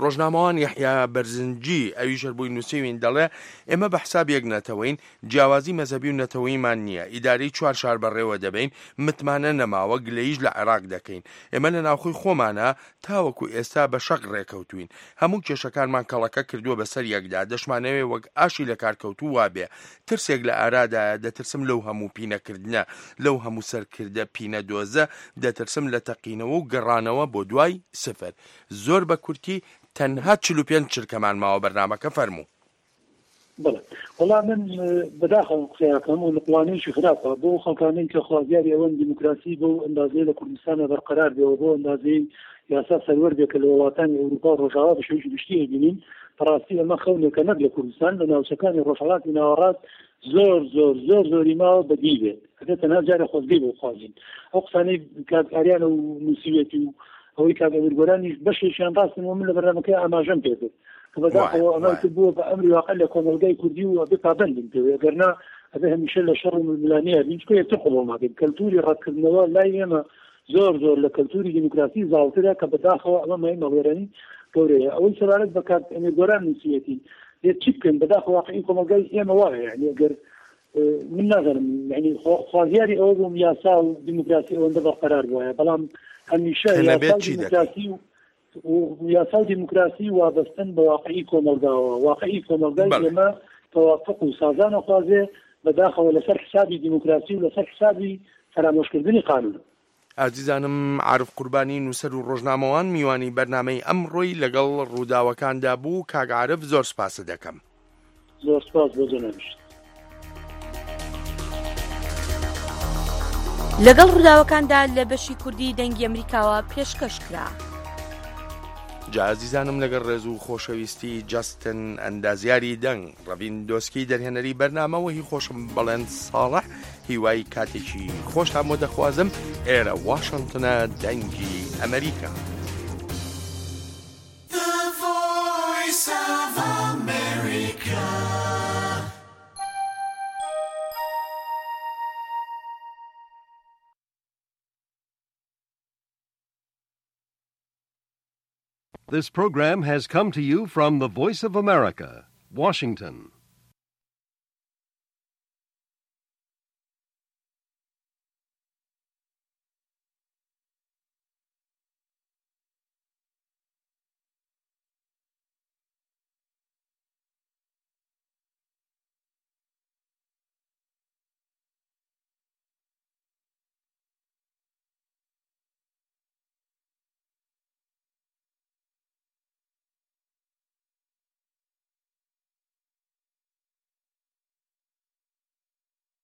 ڕۆژنامەوان یەحیا بەرزنجی ئەویش هەر بووی نووسیوین دەڵێ ئێمە بە حساب یەک نەتەوەین، جیاوازی مەزەبی و نەتەوەیمان نییە، ئیدارەی چوار شار بەڕێوە دەبەین، متمانە نەماوە، گلەییش لە عێراق دەکەین. ئێمە لە ناوخۆی خۆمانە تاوەکو ئێستا بە شەق ڕێکەوتوین، هەموو کێشەکانمان کەڵەکە کردووە بەسەر یەکدا، دەشمانەوێ وەک ئاشی لە کارکەوتوو وابێ. ترسێک لە ئارادایە، دەترسم لەو هەموو پینەکردنە، لەو هەموو سەرکردە پینە دۆزە، دەترسم لە تەقینەوە و گەڕانەوە بۆ دوای سفر. زۆر بە کورتی، تەنها چل و پێنج چرکەمان ماوە بەرنامەکە فەرموو. بەڵێ، وەڵا من بەداخەوە قسەیەکەم و لە پلانێکی خراپە بۆ خەڵکانەی کە خوازیاری ئەوەن دیموکراسی بۆ ئەندازەیە لە کوردستانە بەرقەرار بێەوە، بۆ ئەندازەی یاسا سەروەر بێ کە لە وڵاتانی ئەوروپا و ڕۆژاوا بە شێوەیەکی گشتی ئەبینین. بەڕاستی ئەمە خەونێکە نەک لە کوردستان، لە ناوچەکانی ڕۆژهەڵاتی ناوەڕاست زۆر زۆر زۆر زۆری ماوە بەدی بێت. ئەبێت تەنها جارە خۆزگەی بۆ بخوازین. ئەو قسانەی کاک ئاریانە و نووسیوێتی و ئەوەی کاک ئەمیر گۆرانیش بەشێکیان ڕاستن و من لە بەرنامەکەی ئاماژەم پێ کرد کە بەداخەوە ئەمە بووە بە ئەمری واقع لە کۆمەلگای کوردی و ئەبێ پابەندین پێ، ئەگەرنا ئەبێ هەمیشە لە شەڕ و ململانەیە بین، چکە یەکتر قبوڵ ناکەین. کەلتوری ڕەتکردنەوە لای ئێمە زۆر زۆر لە کەلتوری دیموکراسی زاڵترە کە بەداخەوە ئەمە مای مەڵێرانی گەورەیە. ئەوەی سەبارەت بە کاک ئەمیر گۆران نووسیەتی، لێ چی بکەن؟ بەداخەوە واقعی کۆمەلگای ئێمە وایە، یعنی ئەگەر من نازانم، یعنی خوازیاری ئەوە بووم یاسا و دیموکراسی ئەوەندە بەرقەرار بووە، بەڵام هەمیشە یاسا و دیموکراسی و یاسا و دیموکراسی وابەستن بە واقعی کۆمەلگاوە. واقعی کۆمەلگای ئێمە تەوافق و سازانە خوازێ، بەداخەوە لەسەر حسابی دیموکراسی و لەسەر حسابی فەرامۆشکردنی قانون. ئازیزانم، عارف قوربانی، نووسەر و ڕۆژنامەوان، میوانی بەرنامەی ئەمڕۆی لەگەڵ ڕووداوەکاندا بوو. کاک عارف، زۆر سپاست دەکەم. زۆر سپاس بۆ جەنابیشت. لەگەڵ ڕووداوەکاندا لە بەشی کوردی دەنگی ئەمریکاوە پێشکەش کرا. جا ئەزیزانم، لەگەڵ ڕێز و خۆشەویستی، جەستن ئەندازیاری دەنگ، ڕەڤین دۆسکی دەرهێنەری بەرنامە، و هی خۆشم بەڵێن ساڵح، هیوای کاتێکی خۆشتان بۆ دەخوازم. ئێرە واشنگتنە، دەنگی ئەمریکا. The Voice of America. This program has come to you from the Voice of America, Washington.